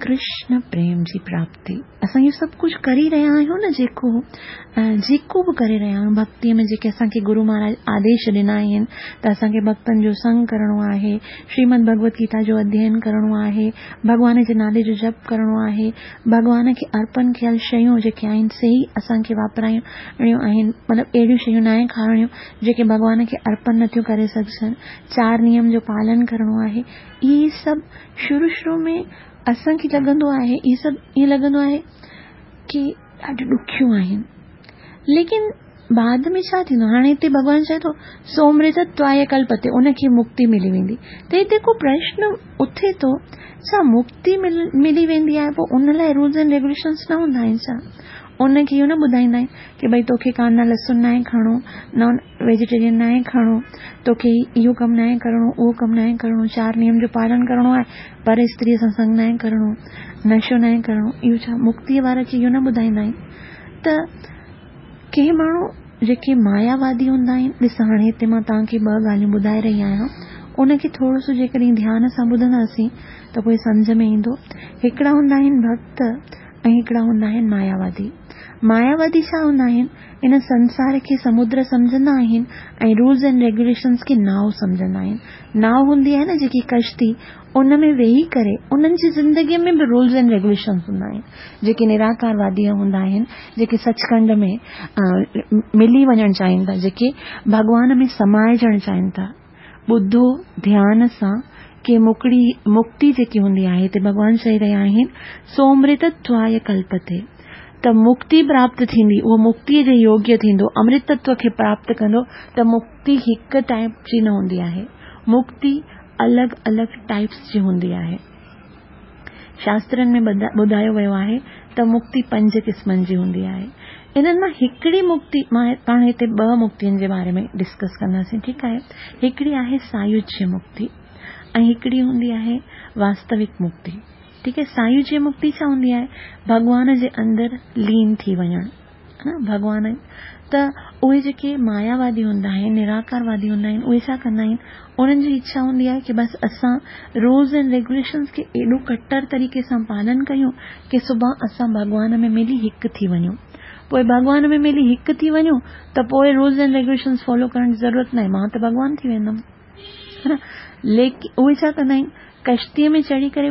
ڪرشن پريم جي پراپتي. اسان اهو سڀ ڪجهه ڪري رهيا آهيون نه، جيڪو جيڪو به ڪري رهيا آهيون ڀڪتيء ۾ جيڪي اسان کي گرو مهاراج آديش ڏنا آهن ته اسان کي ڀڪتن جو سنگ ڪرڻو آهي، شريمد ڀڳوت گيتا جو اڌيين ڪرڻو آهي، ڀڳوان جي نالي جو جپ ڪرڻو آهي، ڀڳوان کي ارپڻ ڪيل شيون جيڪي آهن سي ئي اسان کي واپرائڻيون آهن، مطلب اهڙيون شيون ناهي کارڻيون جيڪي ڀڳوان کي ارپڻ نٿيون ڪري سگهجن، چار نيم جو پالن ڪرڻو آهي. اهي سڀ شروع شروع ۾ اسان کي لڳندو آهي، اهي سڀ ائين لڳندو آهي ڪي ڏاڍيون ڏکيون آهن، ليڪن بعد ۾ ڇا ٿيندو؟ هاڻي هتي ڀڳوان چئي ٿو سومرتتواي ڪلپتي، ان کي مڪتي ملي ويندي. ته هتي ڪو پرشن اٿي ٿو، ڇا مڪتي ملي ويندي آهي پوء ان لاء رولز اينڊ ريگوليشنز نه هوندا آهن ڇا؟ ان کي اهو نه ٻڌائيندا آهن ڪي ڀئي توکي ڪاندا لسن ناهي کائڻو، نان ويجيٽيرين ناهي کائڻو، توکي اهو ڪم ناهي ڪرڻو، اهو ڪم ناهي ڪرڻو، چار نيم جو پالن ڪرڻو آهي، پر استريء سان سنگ ناهي ڪرڻو، نشو ناهي ڪرڻو. اهو ڇا مڪتيء وارا کي اهو نه ٻڌائيندا آهن؟ ته ڪي ماڻهو جيڪي ماياوادي هوندا آهن، ڏس هاڻي هتي مان توهان کي ٻه ڳالهيون ٻڌائي رهي آهيان، ان کي ٿورو سو جيڪڏهن ڌيان سان ٻڌنداسين ته پوءِ سمجهه ۾ ايندو. هڪڙا هوندا آهن ڀڳت ۽ هڪڙا هوندا آهن ماياوادي. ماياوادي ڇا هوندا آهن؟ ان سنسار کي سمدر سمجهندا آهن ۽ رولز اينڊ ريگيوليشنز کي ناو سمجهندا آهن. ناو هوندي آهي نه جيڪي ڪشتي، ان ۾ ويهي ڪري انهن جي زندگيءَ ۾ به رولز اينڊ ريگيوليشنز هوندا آهن. جيڪي نراڪاروادي هوندا آهن، جيڪي سچکنڊ ۾ ملي وڃڻ چاهين ٿا، جيڪي ڀڳوان ۾ سمائجڻ چاهين ٿا. ٻڌو ڌيان سان ڪي مڪڙي مڪتي جيڪي هوندي آهي، هتي ڀڳوان چئي رهيا آهن سومرتتواي ڪلپتي، ته مڪتي پراپت ٿيندي، اهو مڪتيءَ جي يوگيه ٿيندو، امرتتو کي پراپت ڪندو. ته مڪتي هڪ ٽائيپ جي نه هوندي آهي، مڪتي الڳ الڳ ٽائيپس جي هوندي آهي. شاسترن ۾ ٻڌايو ويو آهي ته مڪتي پنج قسمن جي هوندي آهي. انهن مان هڪڙي مڪتي، مان پاڻ هتي ٻه مڪتين جي باري ۾ ڊسڪس ڪنداسين، ٺيڪ آهي. هڪڙي آهي سايوجيه مڪتي ۽ هڪڙي هوندي آهي واستوڪ مڪتي، ٺيڪ آهي. سايوجيه مڪتي ڇا هوندي آهي؟ ڀڳوان جي اندر لين ٿي وڃڻ، ها ڀڳوان. ته اهي جيڪي ماياوادي هوندا آهن، نراڪاروادي هوندا آهن، اهي ڇا ڪندا آهن؟ انهن جي اڇا هوندي آهي ڪه بس اسان رولز اينڊ ريگيوليشنز کي ايڏو ڪٽر طريقي سان پالن ڪيون ڪه سڀاڻي اسان ڀڳوان ۾ ملي هڪ ٿي وڃون. پوءِ ڀڳوان ۾ ملي هڪ ٿي وڃون ته پوءِ رولز اينڊ ريگيوليشنز فالو ڪرڻ جي ضرورت ناهي، مان ته ڀڳوان ٿي ويندم، ها نه. ليڪن اهي ڇا ڪندا آهن؟ ڪشتيءَ ۾ چڙهي ڪري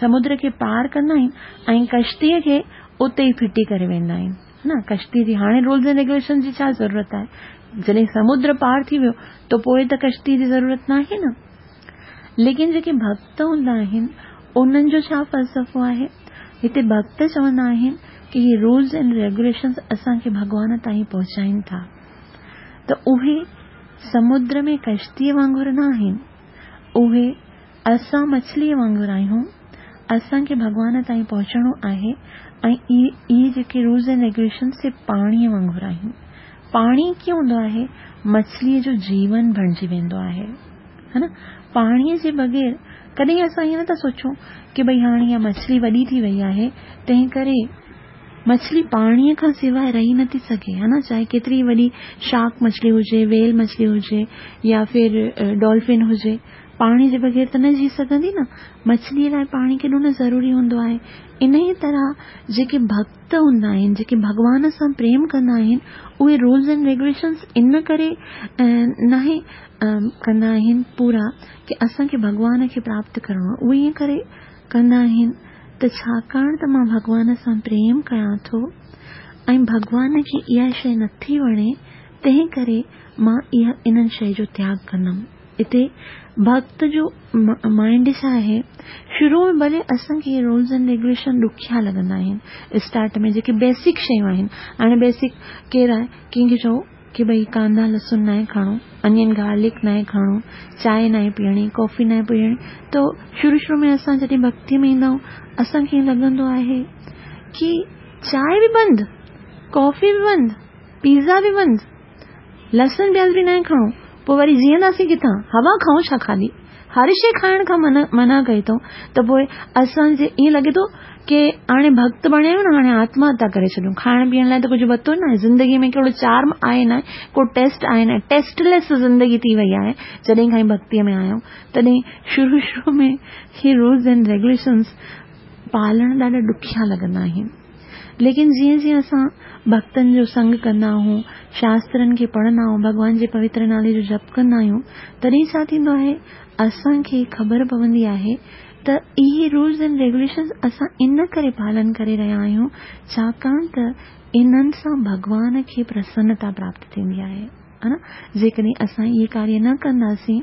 سمدر کي پار ڪندا آهن ۽ ڪشتيءَ کي اتي ئي ڦٽي ڪري ويندا آهن، ها نه. ڪشتيءَ جي هاڻي رولز اينڊ ريگيوليشن جي ڇا ضرورت آهي؟ جڏهن سمدر پار ٿي ويو ته پوءِ ته ڪشتيءَ جي ضرورت ناهي نه. ليڪن جيڪي ڀڳت هوندا آهن انهن جو ڇا فلسفو آهي؟ هتي ڀڳت چوندا آهن ڪه اهي رولز اينڊ ريگيوليشنز اسان کي ڀڳوان تائين پهچائين ٿا. ته اهي سمدر ۾ ڪشتيءَ وانگر نه آهن، اهي اسان مڇليءَ وانگر آهيون. اسان کي ڀڳوان تائين پهچڻو آهي ۽ اهي جيڪي رولز اينڊ ريگيوليشنز سي پاڻيءَ وانگر آهن. پاڻي ڪيئن هوندو آهي؟ مڇليءَ جو جيون بڻجي ويندو آهي، ها نه. پاڻيءَ جي بغير ڪڏهن اسان ائين نٿا سوچون ڪه ڀئي هاڻي اها مڇلي وڏي ٿي وئي آهي، تنهن ڪري مڇلي پاڻيءَ کان سواءِ رهي نٿي سگهي، ها نه. چاهي ڪيتري وڏي شارڪ مڇلي هجي، ويل مڇلي هجي يا ڦر ڊولفن هجي، پاڻي جي بغير ته نه جي سگهندي نه. مڇليءَ لاءِ پاڻي ڪيڏو نه ضروري هوندو آهي. ان ئي طرح جيڪي ڀڳت هوندا آهن، جيڪي ڀڳوان سان پريم ڪندا آهن، اهي رولز اينڊ ريگيوليشنز ان ڪري ناهي ڪندا آهن پورا ڪه اسان کي ڀڳوان کي پراپت ڪرڻو آهي. اهي ائين ڪري ڪندا آهن ته ڇاڪاڻ ته مان ڀڳوان سان پريم ڪيان ٿو ۽ ڀڳوان کي اها شيءِ نٿي وڻي، تنهن ڪري مان اها انهن شيءِ جو تياڳ ڪندم. هتي ڀڳت جو مائينڊ ڇا آهي؟ شروع ۾ ڀلي اسان کي اهي رولز اينڊ ريگيوليشن ڏکيا لڳندا آهن اسٽارٽ ۾، جيڪي بيسڪ شيون آهن. هاڻي بيسڪ ڪير آهي؟ ڪنهن کي چئو ڪه ڀئي ڪاندا لسڻ ناهي کائڻو، انين گارلڪ ناهي کائڻو، چانهه ناهي پيئڻي، ڪافي ناهي پيئڻي. ته شروع شروع ۾ اسان جڏهن ڀڳتيءَ ۾ ايندا آهيون، اسان کي ائين لڳندو آهي ڪه چانهه به بند، ڪافي به بند، پيزا به بند، لسڻ پياز به ناهي کائڻو، پوءِ وري جيئنداسين ڪٿان؟ هوا کائون ڇا؟ خالي هر شيءِ کائڻ کان منع منع ڪئي اٿئون. ته پوءِ اسان جي ائين لڳي ٿو ڪه هاڻي ڀڳت بڻيا آهيون نه، هاڻي آتم هتيا ڪري ڇڏيون. کائڻ پيئڻ لاءِ ته ڪجهه ورتو نه آهي، زندگيءَ ۾ ڪهڙو چارم آهي نه، ڪو ٽيسٽ آهي نه، ٽيسٽليس زندگي ٿي وئي آهي جڏهن کان ئي ڀڳتيءَ ۾ آيا آهيون. تڏهن شروع شروع ۾ هي رولز اينڊ ريگيوليشنز پالڻ ڏاڍا ڏکيا لڳندا آهن. ليڪن جيئن جيئن اسان ڀڳتن جو سنگ ڪندا آهيون، شاسترن کي پڙهندا آهيون، ڀڳوان جي پوتر نالي جو جپ ڪندا آهيون، تڏهن ڇا ٿيندو آهي؟ اسان کي خبر پوندي آهي ته اهي رولز اينڊ ريگيوليشنز اسان ان ڪري پالن ڪري رهيا آهيون ڇاڪاڻ ته انهن سان ڀڳوان کي پرسنتا پراپت ٿيندي آهي، ها نه. جيڪڏهن اسان اهي ڪاريه نه ڪنداسين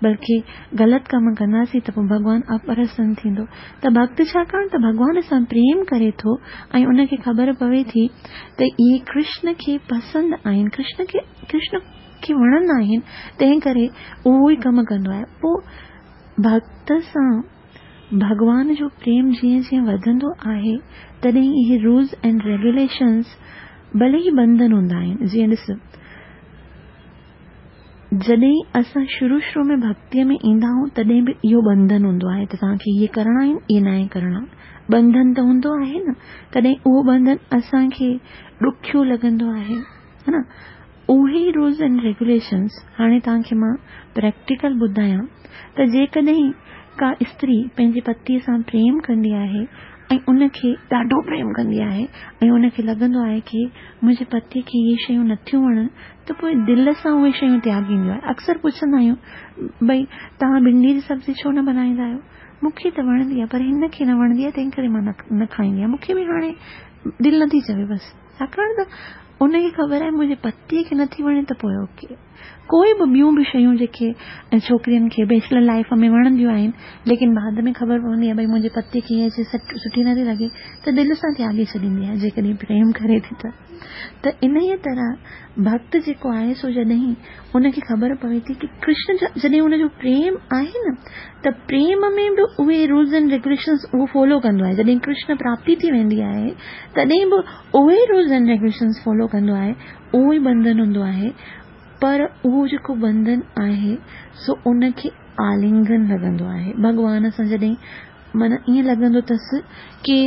بلڪه غلط ڪم ڪنداسين ته پوءِ ڀڳوان اپرسن ٿيندو. ته ڀڳت ڇاڪاڻ ته ڀڳوان سان پريم ڪري ٿو ۽ ان کي خبر پوي ٿي ته اهي ڪرشن کي پسند آهن، ڪرشن کي ڪرشن کي وڻندا آهن، تنهن ڪري اهو ئي ڪم ڪندو آهي. پوءِ ڀڳت سان ڀڳوان جو پريم جيئن جيئن وڌندو آهي، تڏهن اهي رولز اينڊ ريگيوليشنز ڀلي ئي بنڌن هوندا آهن. جيئن ڏس، जॾहिं असां शुरू शुरू में भक्तीअ में ईंदा आहियूं तॾहिं बि इहो बंधन हूंदो आहे त तव्हांखे इहे करणा आहिनि, इहे नाहे करणा। बंधन त हूंदो आहे न, तॾहिं उहो बंधन असांखे ॾुखियो लॻंदो आहे, हा न। उहे ई रूल्स एंड रेगुलेशन्स हाणे तव्हांखे मां प्रैक्टिकल ॿुधायां त जेकॾहिं का स्त्री पंहिंजे पतीअ सां प्रेम कंदी आहे ऐं उनखे ॾाढो प्रेम कंदी आहे ऐं उनखे लॻंदो आहे की मुंहिंजे पतीअ खे इहे शयूं नथियूं वणनि, त पोइ दिलि सां उहे शयूं त्यागींदियो आहे। अक्सर पुछंदा आहियूं, भई तव्हां भिंडी जी सब्ज़ी छो न बनाईंदा आहियो? मूंखे त वणंदी आहे पर हिन खे न वणंदी आहे, तंहिं करे मां न खाईंदी आहियां, मूंखे बि हाणे दिलि नथी चवे बसि। छाकाणि त उनखे ख़बर आहे मुंहिंजे पतीअ खे नथी वणे त पोइ ओके। कोई बि ॿियूं बि शयूं जेके छोकिरियुनि खे बैचलर लाइफ में वणंदियूं आहिनि, लेकिन बाद में ख़बर पवंदी आहे भई मुंहिंजे पतीअ खे इहा शइ सुठी नथी लॻे, त दिलि सां त्यागी छॾींदी आहे जेकॾहिं प्रेम करे थी त। त इन ई तरह भक्त जेको आहे सो जॾहिं उनखे ख़बर पवे थी की कृष्ण जॾहिं उनजो प्रेम आहे न, त प्रेम में बि उहे रूल्स एंड रेगुलेशन्स उहो फॉलो कंदो आहे। जॾहिं कृष्ण प्राप्ति थी वेंदी आहे तॾहिं बि उहे रूल्स एंड रेगुलेशन्स फॉलो कंदो आहे, उहो ई बंधन हूंदो आहे। पर उहो जेको बंधन आहे सो उनखे आलिंगन लॻंदो आहे। भॻवान सां जॾहिं माना ईअं लॻंदो अथसि की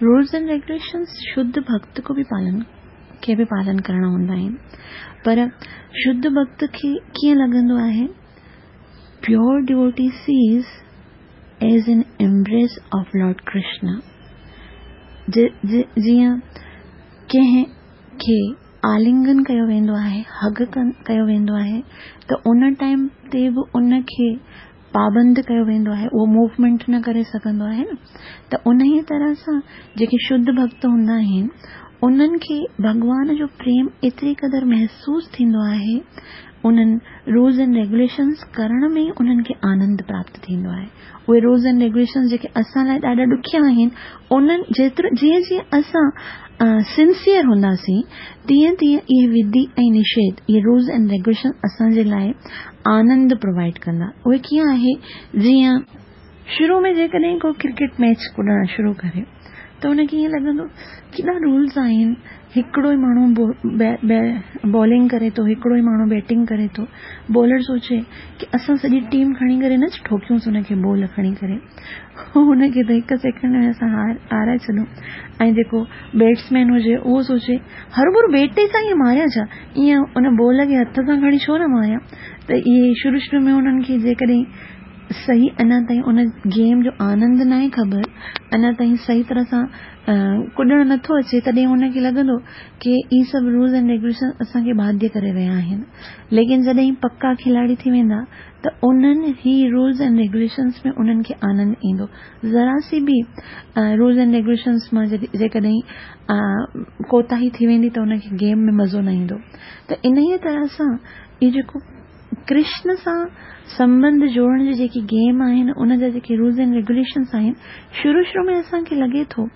रूल्स एंड रेगुलेशन्स शुद्ध भक्त को बि पालन खे बि पालन करणा हूंदा आहिनि, पर शुद्ध भक्त खे कीअं लॻंदो आहे? Pure devotee sees as an embrace of Lord Krishna. जीअं कंहिं खे आलिंगन कयो वेंदो आहे, हग कयो वेंदो आहे, त उन टाइम ते बि उनखे पाबंद कयो वेंदो आहे, उहो मूवमेंट न करे सघंदो आहे न। त उन ई तरह सां जेके शुद्ध भक्त हूंदा आहिनि उन्हनि खे भॻवान जो प्रेम एतिरी क़दुरु महसूसु थींदो आहे, उन्हनि रूल्स एंड रेगुलेशन्स करण में उन्हनि खे आनंद प्राप्त थींदो आहे। उहे रूल्स एंड रेगुलेशन्स जेके असां लाइ ॾाढा ॾुखिया आहिनि, उन्हनि जेतिरो जीअं जीअं असां सिंसियर हूंदासीं तीअं तीअं इहे विधि ऐं निषेध, इहे रूल्स एंड रेगुलेशन असांजे लाइ आनंद प्रोवाइड कंदा। उहे कीअं आहे, जीअं शुरू में जेकॾहिं को क्रिकेट मैच कुॾणु शुरू करे त हुनखे ईअं लॻंदो केॾा रूल्स आहिनि, हिकिड़ो ई माण्हू बॉलिंग करे थो, हिकिड़ो ई माण्हू बैटिंग करे थो। बॉलर सोचे की असां सॼी टीम खणी करे न ठोकियूंसि हुनखे बॉल खणी करे, हुनखे त हिकु सेकंड में असां हाराए छॾूं। ऐं जेको बैट्समैन हुजे उहो सोचे हरोभरो बैट सां ईअं मारियां छा, ईअं उन बॉल खे हथ सां खणी छो न मारियां। त इहे शुरू शुरू में उन्हनि खे जेकॾहिं सही अञा ताईं उन गेम जो आनंद न आहे ख़बर, अञा ताईं सही तरह सां कुॾणु नथो अचे, तॾहिं हुनखे लॻंदो की इहे सभु रूल्स एंड रेगुलेशन असांखे बाध्य करे रहिया आहिनि। लेकिन जॾहिं पक्का खिलाड़ी थी वेंदा त उन्हनि ही रूल्स एंड रेगुलेशन्स में उन्हनि खे आनंद ईंदो। ज़रा सी बि रूल्स एंड रेगुलेशन्स मां जेकॾहिं कोताही थी वेंदी त हुनखे गेम में मज़ो न ईंदो। त इन ई तरह सां इहो जेको कृष्ण सां संबंध जोड़ण जी जेकी गेम आहिनि, उनजा जेके रूल्स एंड रेगुलेशन्स आहिनि, शुरू शुरू में असांखे लॻे थो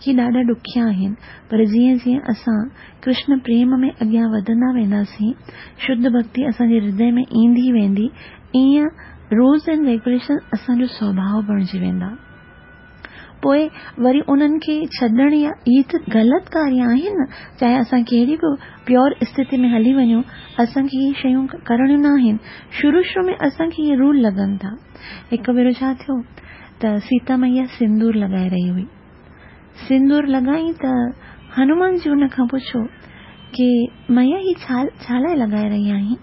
की ॾाढा ॾुखिया आहिनि, पर जीअं जीअं असां कृष्ण प्रेम में अॻियां वधंदा वेंदासीं, शुद्ध भक्ति असांजे हृदय में ईंदी वेंदी, ईअं रूल्स एंड रेगुलेशन असांजो स्वभाव बणिजी वेंदा। पोइ वरी उन्हनि खे छॾणु या इहे त ग़लति कार्य आहिनि न, चाहे असां कहिड़ी बि प्योर स्थिति में हली वञूं, असांखे इहे शयूं करणियूं न आहिनि। शुरू शुरू में असांखे इहे रूल लॻनि था। हिकु भेरो छा थियो त सीता मैया सिंदूर लॻाए रही हुई, सिंदूर लॻाई त हनुमान जी हुन खां पुछियो की मैया हीअ छा छा लाइ लॻाए रही आहीं?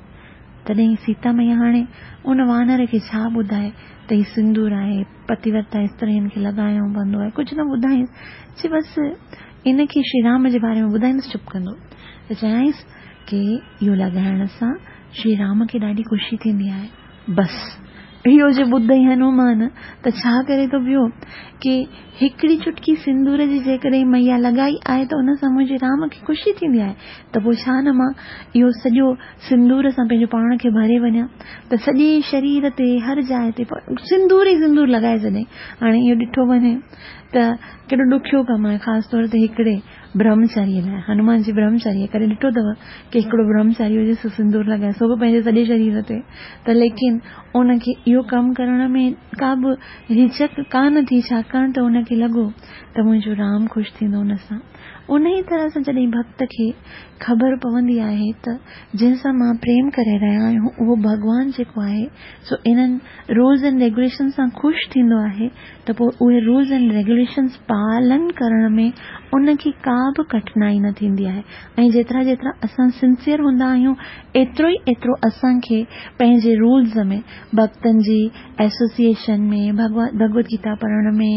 तॾहिं सीता मैया हाणे उन वानर खे छा ॿुधाए त हीउ सिंदूर आहे, पतिव्रता स्त्रियुनि खे लॻाइणो पवंदो आहे, कुझु न ॿुधाईंसि, चई बसि इन खे श्री राम जे बारे में ॿुधाईंदुसि, चुप कंदो। त चयाईंसि की इहो लॻाइण सां श्री राम खे ॾाढी ख़ुशी थींदी आहे। बसि इहो जे ॿुधई हनुमान त छा करे थो पियो की हिकिड़ी चुटकी सिंदूर जी जेकॾहिं मैया लॻाई आहे त उन सां मुंहिंजे राम खे ख़ुशी थींदी आहे, त पोइ छा न मां इहो सॼो सिंदूर सां पंहिंजो पाण खे भरे वञा, त सॼे शरीर ते हर जाइ ते सिंदूर ई सिंदूर लॻाए छॾे। हाणे इहो ॾिठो वञे त केॾो ॾुखियो कमु आहे, ख़ासि तौर ते हिकिड़े ब्रह्मचारीअ लाइ। हनुमान जी ब्रह्मचारी करे ॾिठो अथव की हिकिड़ो ब्रह्मचारी हुजे सो सिंदूर लॻाए, सो बि पंहिंजे सॼे शरीर ते, त लेकिन उनखे इहो कमु करण में का बि हिचक कान थी, छाकाणि त हुनखे लॻो त मुंहिंजो राम ख़ुशि थींदो हुन सां। ان ئي طرح سان جڏهن ڀڳت کي خبر پوندي آهي ته جنهن سان مان پريم ڪري رهيو آهيان اهو ڀڳوان جيڪو آهي سو انهن رولز اينڊ ريگوليشن سان خوش ٿيندو آهي ته پوءِ اهي رولز اينڊ ريگوليشنس پالن ڪرڻ ۾ ان کي ڪا به ڪٺنائي نه ٿيندي آهي. ۽ جيترا جيترا اسان سنسيئر هوندا آهيون ايترو ئي ايترو اسان کي پنهنجي رولز ۾ ڀڳتن جي ايسوسيئيشن ۾ ڀڳوت گيتا پڙهڻ ۾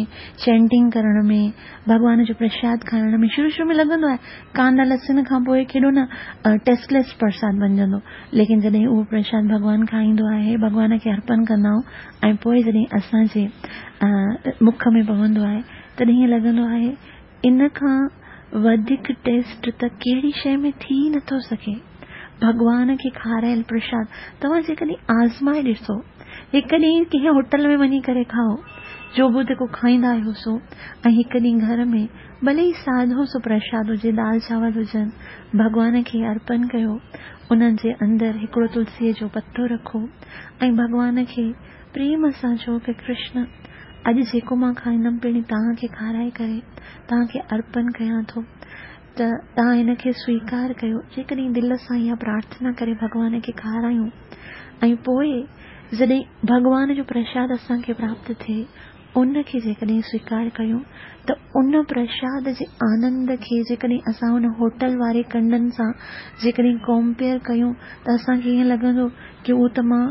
چينٽنگ ڪرڻ ۾ ڀڳوان جو پرشاد کائڻ ۾ شروع شروع ۾ لڳندو آهي ڪاندا لسڻ کان پوءِ ڪيڏو نه ٽيسٽليس پرساد بڻجندو، ليڪن جڏهن اهو پرشاد ڀڳوان کائيندو آهي، ڀڳوان کي ارپڻ ڪندا آهيون ۽ پوءِ جڏهن اسان جي مک ۾ پوندو آهي تڏهن ائين لڳندو آهي ان کان وڌيڪ ٽيسٽ ته ڪهڙي شيءِ ۾ ٿي نٿو سگهي. ڀڳوان کي کارايل پرشاد توهان جيڪڏهن آزمائي ڏسو، هڪ ڏينهن ڪنهن هوٽل ۾ وڃي ڪري کائو جو به جيڪو کائيندا آهيو سو، ۽ هڪ ڏينهن گهر ۾ ڀلي ئي سادو سو پرشاد هجي، دال چانور هجن، ڀڳوان کي ارپڻ ڪيو، انهن جي اندر هڪڙو تلسيءَ جو پتو رکو ۽ ڀڳوان کي پريم سان چئو ڪه ڪرشن اڄ جيڪو مان کائيندم پهرين توهان کي کارائي ڪري توهان کي ارپڻ ڪيان ٿو ته توهان هن کي سويڪار ڪيو. جيڪڏهن دل سان اها پرارٿنا ڪري ڀڳوان کي کارايون ۽ پوءِ جڏهن ڀڳوان جو پرشاد اسان کي پراپت ٿئي ان کي جيڪڏهن سويڪار ڪيون ته ان پرشاد جي آنند کي جيڪڏهن اسان ان هوٽل واري ڪنڊن سان جيڪڏهن ڪمپيئر ڪيون ته اسان کي ائين لڳندو ڪه اهو ته مان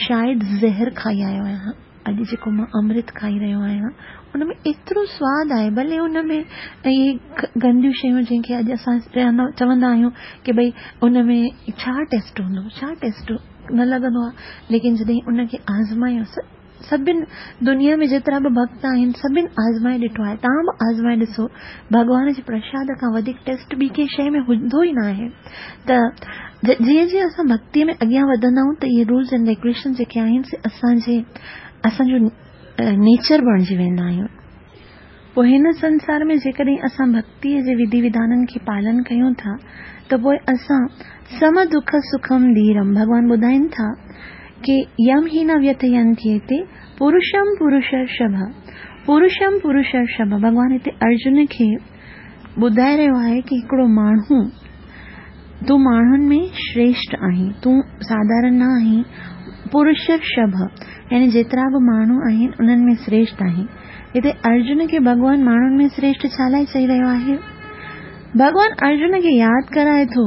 شايد زهر کائي آيو آهيان، اڄ جيڪو مان امرت کائي رهيو آهيان ان ۾ ايترو سواد آهي، ڀلي ان ۾ اهي گنديون شيون جنهن کي اڄ اسان چوندا آهيون ڪه ڀئي ان ۾ ڇا ٽيسٽ هوندو، ڇا ٽيسٽ نه لڳندو آهي، ليڪن جڏهن ان کي آزمايون، سڀني دنيا ۾ جيترا به ڀڳت آهن سڀني آزمائي ڏٺو آهي، توهان به آزمائي ڏسو، ڀڳوان جي پرشاد کان وڌيڪ ٽيسٽ ٻي ڪنهن شيءِ ۾ هوندو ئي نه آهي. ته جيئن جيئن اسان ڀڳتيءَ ۾ اڳيان وڌندا آهيون ته اهي رولز اينڊ ريگوليشن جيڪي آهن سي اسان جي اسان جو نيچر بڻجي ويندا آهيون. پوءِ هن سنسار ۾ جيڪڏهن اسان ڀڳتيءَ جي وڌي وڌانن کي پالن ڪيون ٿا ته پوءِ اسان سم دک سکم ڌيرم، ڀڳوان ٻڌائين ٿا ڪه يم هي نه ويٿينتي پرشم پرشرشڀ، پرشم پرشرشڀ. ڀڳوان هتي ارجن کي ٻڌائي رهيو آهي ڪه هڪڙو ماڻهو، تون ماڻهن ۾ شريشٺ آهين، تون ساڌارڻ نه آهين، پرشرشڀ يعني جيترا به ماڻهو آهن انهن ۾ شريشٺ آهين. هتي ارجن کي ڀڳوان ماڻهن ۾ شريشٺ ڇا لاءِ چئي رهيو آهي؟ ڀڳوان ارجن کي ياد ڪرائي ٿو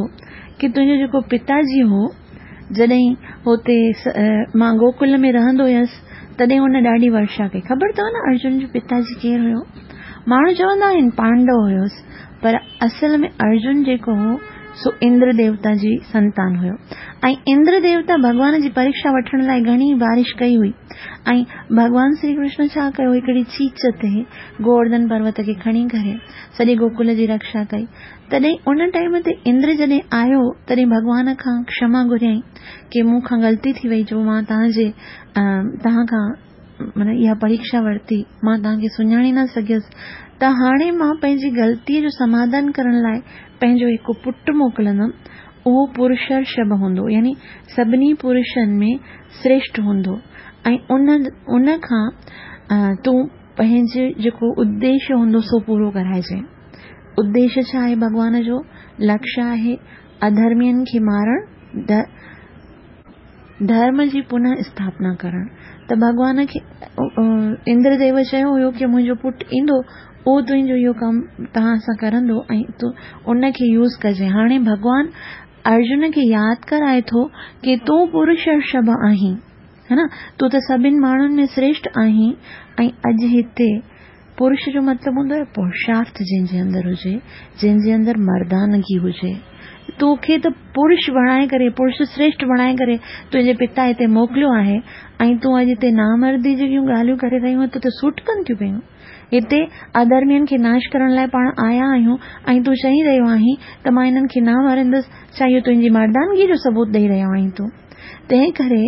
ڪه تنهنجو جيڪو پتاجي هو، جڏهن هتي مان گوڪل ۾ رهندو هيس تڏهن هن ڏاڍي ورشا ڪئي. خبر اٿو نه ارجن جو پتاجي ڪير هيو؟ ماڻهو چوندا آهن پانڊو هيس، پر اصل ۾ ارجن جيڪو هو سو اندر ديوتا جي سنتان هيو ۽ اندر ديوتا ڀڳوان جي پريڪشا وٺڻ لاءِ گهڻي بارش ڪئي هئي ۽ ڀڳوان شري ڪرشن ڇا ڪيو، هڪڙي چيچ تي گوورڌن پروت کي کڻي ڪري سڄي گوڪل جي رڪشا ڪئي. تڏهن ان ٽائيم تي اندر جڏهن آيو تڏهن ڀڳوان کان ڪشما گهريائين ڪه مون کان غلطي ٿي وئي جو مان توهان جي توهان کان معنيٰ اها پريڪشا ورتي، مان توهان کي سڃاڻي نه سگهيس، ته هاڻي مان پنهنجي غلطيءَ جو سماڌان ڪرڻ لاءِ پنهنجو هڪ پٽ موڪليندم، اهو پرشرشڀ هوندو، يعني سڀني پرشن ۾ شريشٺ هوندو ۽ ان ان کان تون پنهنجو جيڪو اديش هوندو سو پورو ڪرائجانءِ. اديش ڇا آهي؟ ڀڳوان جو لڪشيه آهي اڌرمين کي مارڻ، ڌرم جي پنهه اسٿاپنا ڪرڻ. ته ڀڳوان کي اندرديو چيو هيو ڪه منهنجو پٽ ايندو، اهو تنهنجو اهو ڪم توهان سان ڪرندو ۽ تون ان کي يوز ڪجانءِ. هاڻي ڀڳوان ارجن کي ياد ڪرائي ٿو ڪه تون پرشرشڀ آهين، ها نه، تون ته سڀني ماڻهن ۾ شريشٺ آهين ۽ اڄ هتي پرش جو مطلب هوندو آهي پرشارٿ جنهن جي اندر هجي، جنهن جي اندر مردانگي هجي. توکي ته پرش بڻائي ڪري، پرش شريشٺ بڻائي ڪري تنهنجي پتا هتي موڪليو آهي ۽ تون اڄ هتي نامردي جون ڳالهيون ڪري رهيو آهين، تو ته سوٽ ڪن ٿيون پيون. هتي اڌرمين کي ناش ڪرڻ لاءِ پاڻ آيا آهيون ۽ تون چئي رهيو آهين ته مان هنن کي نه ماريندس، ڇا اهو تنهنجي مردانگيءَ جو ثبوت ڏيئي رهيو آهين تون؟ تنهن ڪري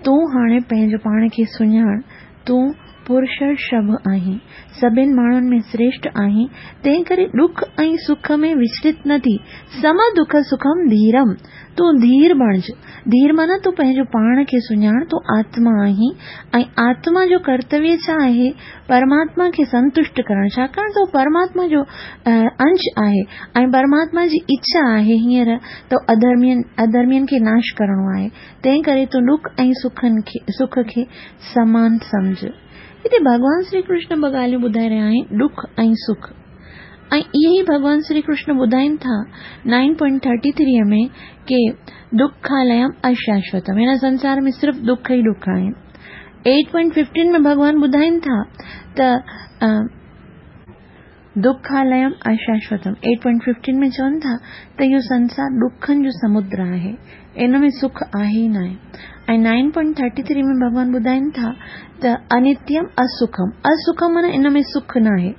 تون هاڻي پنهنجو پاڻ کي سڃاڻ، تون پرشرشڀ آهين، سڀن ماڻهن ۾ شريشٺ آهين، تنهنڪري ڏک ۽ سک ۾ وچلت نه ٿي. سم دک سکم ڌيرم، تون ڌير بڻج. ڌير معنيٰ تون پنهنجو پاڻ کي سڃاڻ، تون آتما آهين ۽ آتما جو ڪرتويه ڇا آهي؟ پرماتما کي سنتشٽ ڪرڻ، ڇاڪاڻ ته هو پرماتما جو انش آهي ۽ پرماتما جي اڇا آهي هينئر ته اڌرمين اڌرمين کي ناش ڪرڻو آهي، تنهنڪري تون ڏک ۽ سکن کي سک کي سمان سمجهه. هتي ڀڳوان شري ڪرشن ٻه ڳالهيون ٻڌائي رهيا آهن، ڏک ۽ سک. ۽ اهي ئي ڀڳوان شري ڪرشن ٻڌائين ٿا نائن پوائنٽ ٿرٽي ٿري ۾ ڪي دکاليم اشاشوتم، هن سنسار ۾ صرف ڏک ئي ڏک آهن. ايٽ پوائنٽ ففٽين ۾ ڀڳوان ٻڌائين ٿا ته دکاليم اشاشوتم، ايٽ پوائنٽ ففٽين ۾ چون ٿا ته اهو سنسار ڏکن جو سمندر آهي، ان ۾ سک آهي ئي ناهي. ۽ نائن پوائنٽ ٿرٽي ٿري ۾ ڀڳوان ٻڌائين ٿا ته انتيم اسکم، اسکم معنيٰ ان ۾ سک ناهي،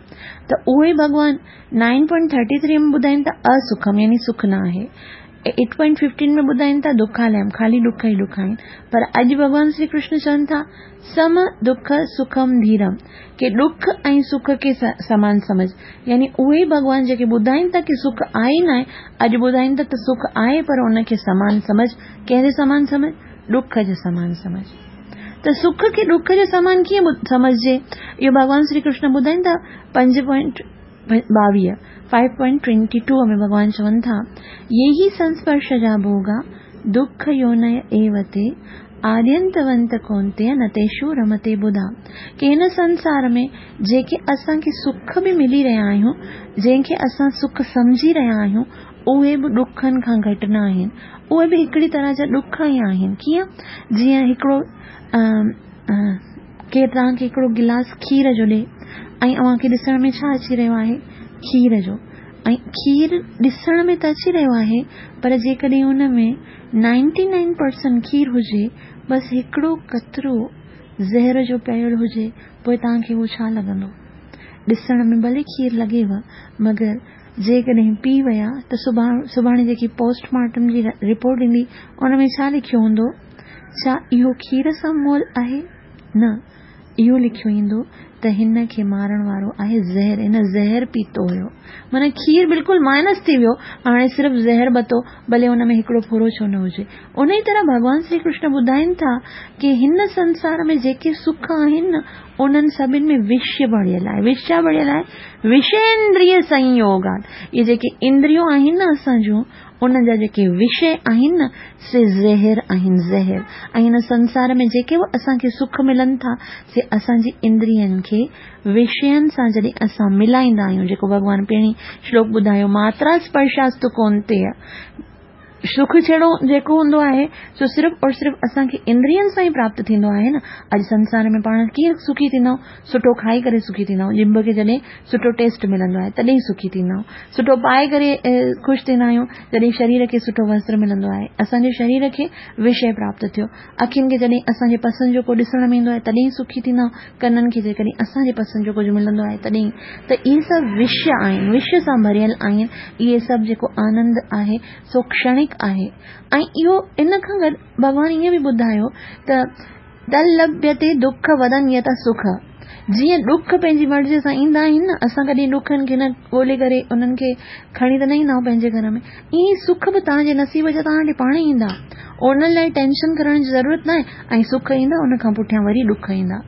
ته اهو ئي ڀڳوان نائن پوائنٽ ٿرٽي ٿري ۾ ٻڌائين ٿا اسکم يعني سک نه آهي. ايٽ پوائنٽ ففٽين ۾ ٻڌائين ٿا دکاليم، خالي ڏک ئي ڏک آهن. پر اڄ ڀڳوان شري ڪرشن چون ٿا سم دک سکم ڌيرم، ڪي ڏک ۽ سک کي سمان سمجهه. يعني اهي ئي ڀڳوان جيڪي ٻڌائين ٿا ڪي سک آهي ئي ناهي، اڄ ٻڌائين ٿا ته سک آهي پر ان کي سمان سمجهه. ڪنهن جي سمان سمجهه؟ ڏک جي سمان سمجهه. ته سک کي ڏک جي سمان ڪيئن سمجهجي؟ اهو ڀڳوان شري ڪرشن ٻڌائين ٿا پنج پوائنٽ ٻاويهه، فائيو پوائنٽ ٽوئنٽي ٽو ۾ ڀڳوان چون ٿا، يي هي سنسپرش جا ڀوڳا دک يونئ ايو تي آدينتونت ڪونتيه نه تيشو رمتي ٻڌا. ڪي هن سنسار ۾ جيڪي اسان کي سک به ملي رهيا آهيون، جنهن کي اسان سک سمجهي رهيا آهيون، اهي به ڏکن کان گهٽ نه آهن. اهي به هڪڙي طرح جا ڏک ئي آهن. ڪيئن؟ جيئن هڪڙو ڪير توهان کي هڪڙو گلاس کير جو ڏي ۽ اوهان کي ڏسڻ ۾ ڇا اچي رهيو آهي؟ کير جو. ۽ کير ڏسڻ ۾ ته اچي رهيو آهي، پر جيڪڏهن ان ۾ نائنٽي نائن پرسنٽ کير هجي، بس هڪڙو قطرو زهر جو پيل هجي، پوء توهان کي اهو ڇا لڳندو؟ ڏسڻ ۾ ڀلي کير لڳيو، مگر جيڪڏهن پي ويا ته سڀاڻي جيڪي پوسٽ مارٽم جي رپورٽ ايندي، ان ۾ ڇا لکيو هوندو؟ ڇا اهو کير سان مئل آهي؟ نه، اهو لکيو ايندو ته هن کي مارڻ وارو آهي زهر، هن زهر پيتو هيو. معنيٰ کير بلڪل مائنس ٿي ويو، هاڻي صرف زهر بتو، ڀلي ان ۾ هڪڙو ڦورو ڇو نه هجي. انهي طرح ڀڳوان شري ڪرشن ٻڌائين ٿا ڪي هن سنسار ۾ جيڪي سک آهن نه، انهن سڀن ۾ وش ڀريل آهي. وش ڇا ڀريل آهي؟ وشيندريه سنيوگات. اهي جيڪي اندريون آهن نه اسان جون، انهن جا جيڪي وشي آهن نه، سي زهر آهن، زهر. ۽ هن سنسار ۾ جيڪي به اسان کي سک ملن ٿا، سي اسان جي اندرين کي وشين سان جڏهن اسان ملائيندا آهيون، جيڪو ڀڳوان پهرين شلوڪ ٻڌايو، ماترا اسپرشاستو ڪونتيه، سک ڇڙو جيڪو هوندو آهي سو صرف اور صرف اسان کي اندرين سان ئي پراپت ٿيندو آهي نه. اڄ سنسار ۾ پاڻ ڪيئن سکي ٿيندا آهيون؟ سٺو کائي ڪري سکي ٿيندا آهيون، ڄڀ کي جڏهن سٺو ٽيسٽ ملندو آهي تڏهن سکي ٿيندا آهيون، سٺو پائي ڪري خوش ٿيندا آهيون جڏهن شرير کي سٺو وستر ملندو آهي، اسان جي شرير کي وشي پراپت ٿيو. اکين کي جڏهن اسان جي پسند جو ڪو ڏسڻ ۾ ايندو آهي تڏهن سکي ٿيندا آهيون، ڪنن کي جيڪڏهن اسان جي پسند جو ڪجهه ملندو آهي تڏهن. ته اهي سڀ وشي آهن، وشي سان ڀريل آهن. اهي سڀ جيڪو آنند آهي سو ڪشڻڪ آهي. ۽ اهو ان کان گڏ ڀڳوان ائين به ٻڌايو ته تلڀيتي دک ودن يت سک، جيئن ڏک پنهنجي مرضيء سان ايندا آهن نه، اسان ڪڏهن ڏکن کي نه ڳولي ڪري انهن کي کڻي ته نه ايندا آهيون پنهنجي گهر ۾، ائين ئي سک به توهان جي نصيب جا توهان ڏي پاڻ ئي ايندا، انهن لاء ٽينشن ڪرڻ جي ضرورت ناهي. ۽ سک ايندا ان کان پٺيان وري ڏک ايندا،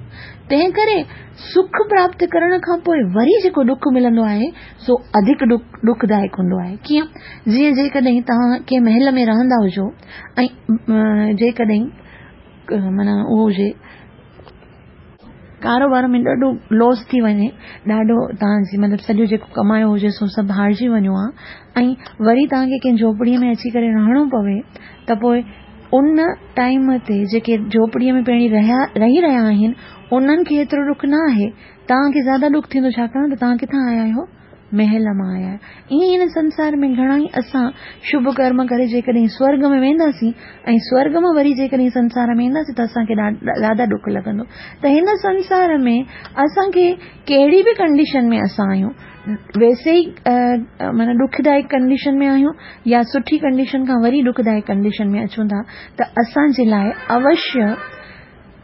تنهن ڪري سک پراپت ڪرڻ کان پوء وري جيڪو ڏک ملندو آهي سو اڌڪ ڏکدائڪ هوندو آهي. ڪيئن؟ جيئن جيڪڏهن توهان ڪنهن محل ۾ رهندا هجو ۽ جيڪڏهن معنيٰ اهو هجي ڪاروبار ۾ ڏاڍو لاس ٿي وڃي، ڏاڍو توهان جي مطلب سڄو جيڪو ڪمايو هجي سو سڀ هارجي وڃو آ، ۽ وري توهان کي ڪنهن جهوپڙيء ۾ اچي ڪري رهڻو پوي ته پوء ان ٽائيم تي جيڪي جهوپڙيء ۾ پهرين رهيا رهي رهيا آهن انهن کي ايترو ڏک نه آهي، توهان کي زياده ڏک ٿيندو، ڇاڪاڻ ته توهان ڪٿان آيا آهيو؟ محل مان آيا آهيو. ائين ئي هن سنسار ۾ گهڻا ئي اسان شڀ ڪرم ڪري جيڪڏهن سورڳ ۾ وينداسين ۽ سورڳ مان وري جيڪڏهن سنسار ۾ اينداسين ته اسان کي زياده ڏک لڳندو. ته هن سنسار ۾ اسان کي ڪهڙي به ڪنڊيشن ۾ اسان آهيون، ويسي ئي معنيٰ ڏکدائڪ ڪنڊيشن ۾ آهيون يا سٺي ڪنڊيشن کان وري ڏکدائڪ ڪنڊيشن ۾ اچون ٿا، ته اسان جي لاء اوشيه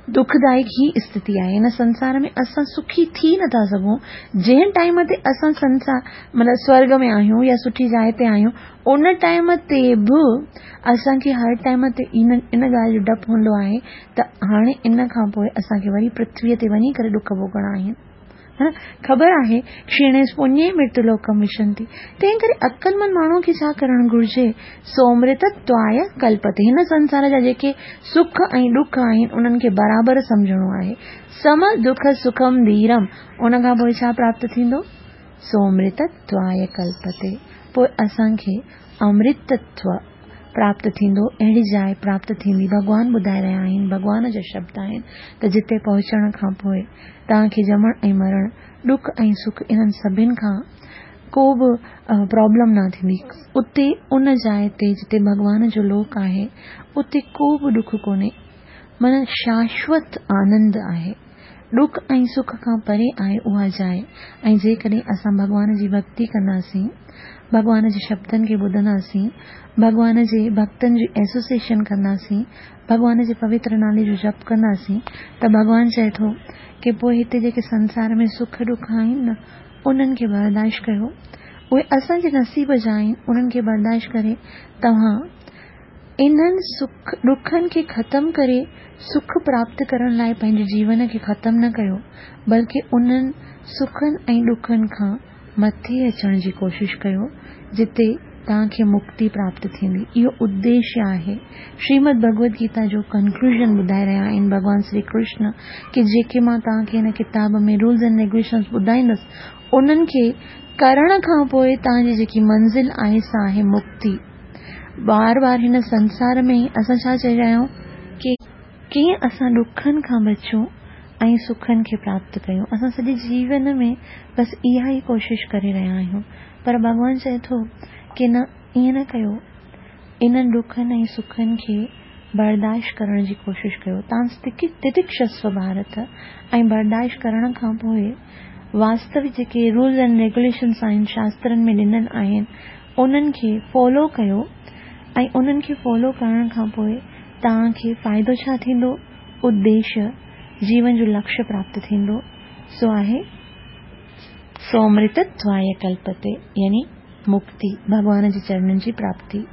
दुखदायक ही स्थिति आहे। हिन संसार में असां सुखी थी नथा सघूं। जंहिं टाइम ते असां संसार मतिलबु स्वर्ग में आहियूं या सुठी जाइ ते आहियूं, उन टाइम ते बि असांखे हर टाइम ते इन इन ॻाल्हि जो डपु हूंदो आहे त हाणे इन खां पोइ असांखे वरी पृथ्वीअ ते वञी करे ॾुख भोगणा आहिनि। हा, ख़बर आहे क्षीणे पुण्ये मृत्युलोकम विशंति। तंहिं करे अक़लमंद माण्हू खे छा करणु घुरिजे? सोमृतत्वाय कल्पते। हिन संसार जा जेके सुख ऐं ॾुख आहिनि उन्हनि खे बराबरि सम्झणो आहे। सम दुख सुखम धीरम, उन खां पोइ छा प्राप्त थींदो? सोमृतत्वाय कल्पते। पोइ असांखे अमृतत्व प्राप्त थींदो, अहिड़ी जाइ प्राप्त थींदी। भॻवान ॿुधाए रहिया आहिनि, भॻवान जा शब्द आहिनि त जिते पहुचण खां पोइ तव्हांखे ॼमण ऐं मरण, ॾुख ऐं सुख, इन्हनि सभिनी खां को बि प्रॉब्लम न थींदी। उते उन जाइ ते जिते भॻवान जो लोक आहे उते को बि ॾुख कोन्हे, माना शाश्वत आनंद आहे। ॾुख ऐं सुख खां परे आहे उहा जाइ। ऐं जेकॾहिं असां भॻवान जी भक्ति कंदासीं, भॻवान जे शब्दनि खे ॿुधंदासीं, भॻवान जे भक्तनि जी एसोसिएशन कंदासीं, भॻवान जे पवित्र नाले जो जप कंदासीं, त भॻवान चए थो की पोइ हिते जेके संसार में सुख ॾुख आहिनि न, उन्हनि खे बर्दाश्त कयो। उहे असांजे नसीब जा आहिनि, उन्हनि खे बर्दाश्त करे तव्हां इन्हनि सुख ॾुखनि खे ख़तमु करे सुख प्राप्त करण लाइ पंहिंजे जीवन खे ख़तमु न कयो, बल्कि उन्हनि सुखनि ऐं ॾुखनि खां मथे अचण जी कोशिशि कयो, जिते तव्हांखे मुक्ति प्राप्त थींदी। इहो उद्देश्य आहे। श्रीमद भगवद गीता जो कंक्लूजन ॿुधाए रहिया आहिनि भॻवान श्री कृष्ण की जेके मां तव्हांखे हिन किताब में रूल्स एंड रेगुलेशन्स ॿुधाईंदुसि, उन्हनि खे करण खां पोइ तव्हांजी जेकी मंज़िल आहे सा आहे मुक्ति। बार बार हिन संसार में ई असां छा चई रहिया आहियूं की कीअं असां ॾुखनि खां बचूं ऐं सुखनि खे प्राप्त कयूं। असां सॼे जीवन में बसि इहा ई कोशिशि करे रहिया आहियूं, पर भॻवान चए थो की न, ईअं न कयो। इन्हनि ॾुखनि ऐं सुखनि खे बर्दाश्त करण जी कोशिशि कयो। तव्हां तितिक्षस्व भारत। ऐं बर्दाश्त करण खां पोइ वास्तविक जेके रूल्स एंड रेगुलेशन्स आहिनि शास्त्रनि में ॾिनल आहिनि, उन्हनि खे फॉलो कयो। ऐं उन्हनि खे फॉलो करण खां पोइ तव्हांखे फ़ाइदो छा थींदो? उद्देश्य, जीवन जो लक्ष्य प्राप्त थींदो, सो आहे सोमृतत्वाय कल्पते, यानी मुक्ति, भॻवान जे चरणनि जी प्राप्ति।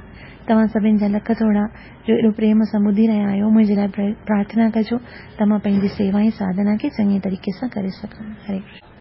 तव्हां सभिनी जा लख थोरा जो एॾो प्रेम सां ॿुधी रहिया आहियो। मुंहिंजे लाइ प्रार्थना कजो त मां पंहिंजी सेवा ऐं साधना खे चङे तरीक़े सां करे सघां। हरे कृष्ण।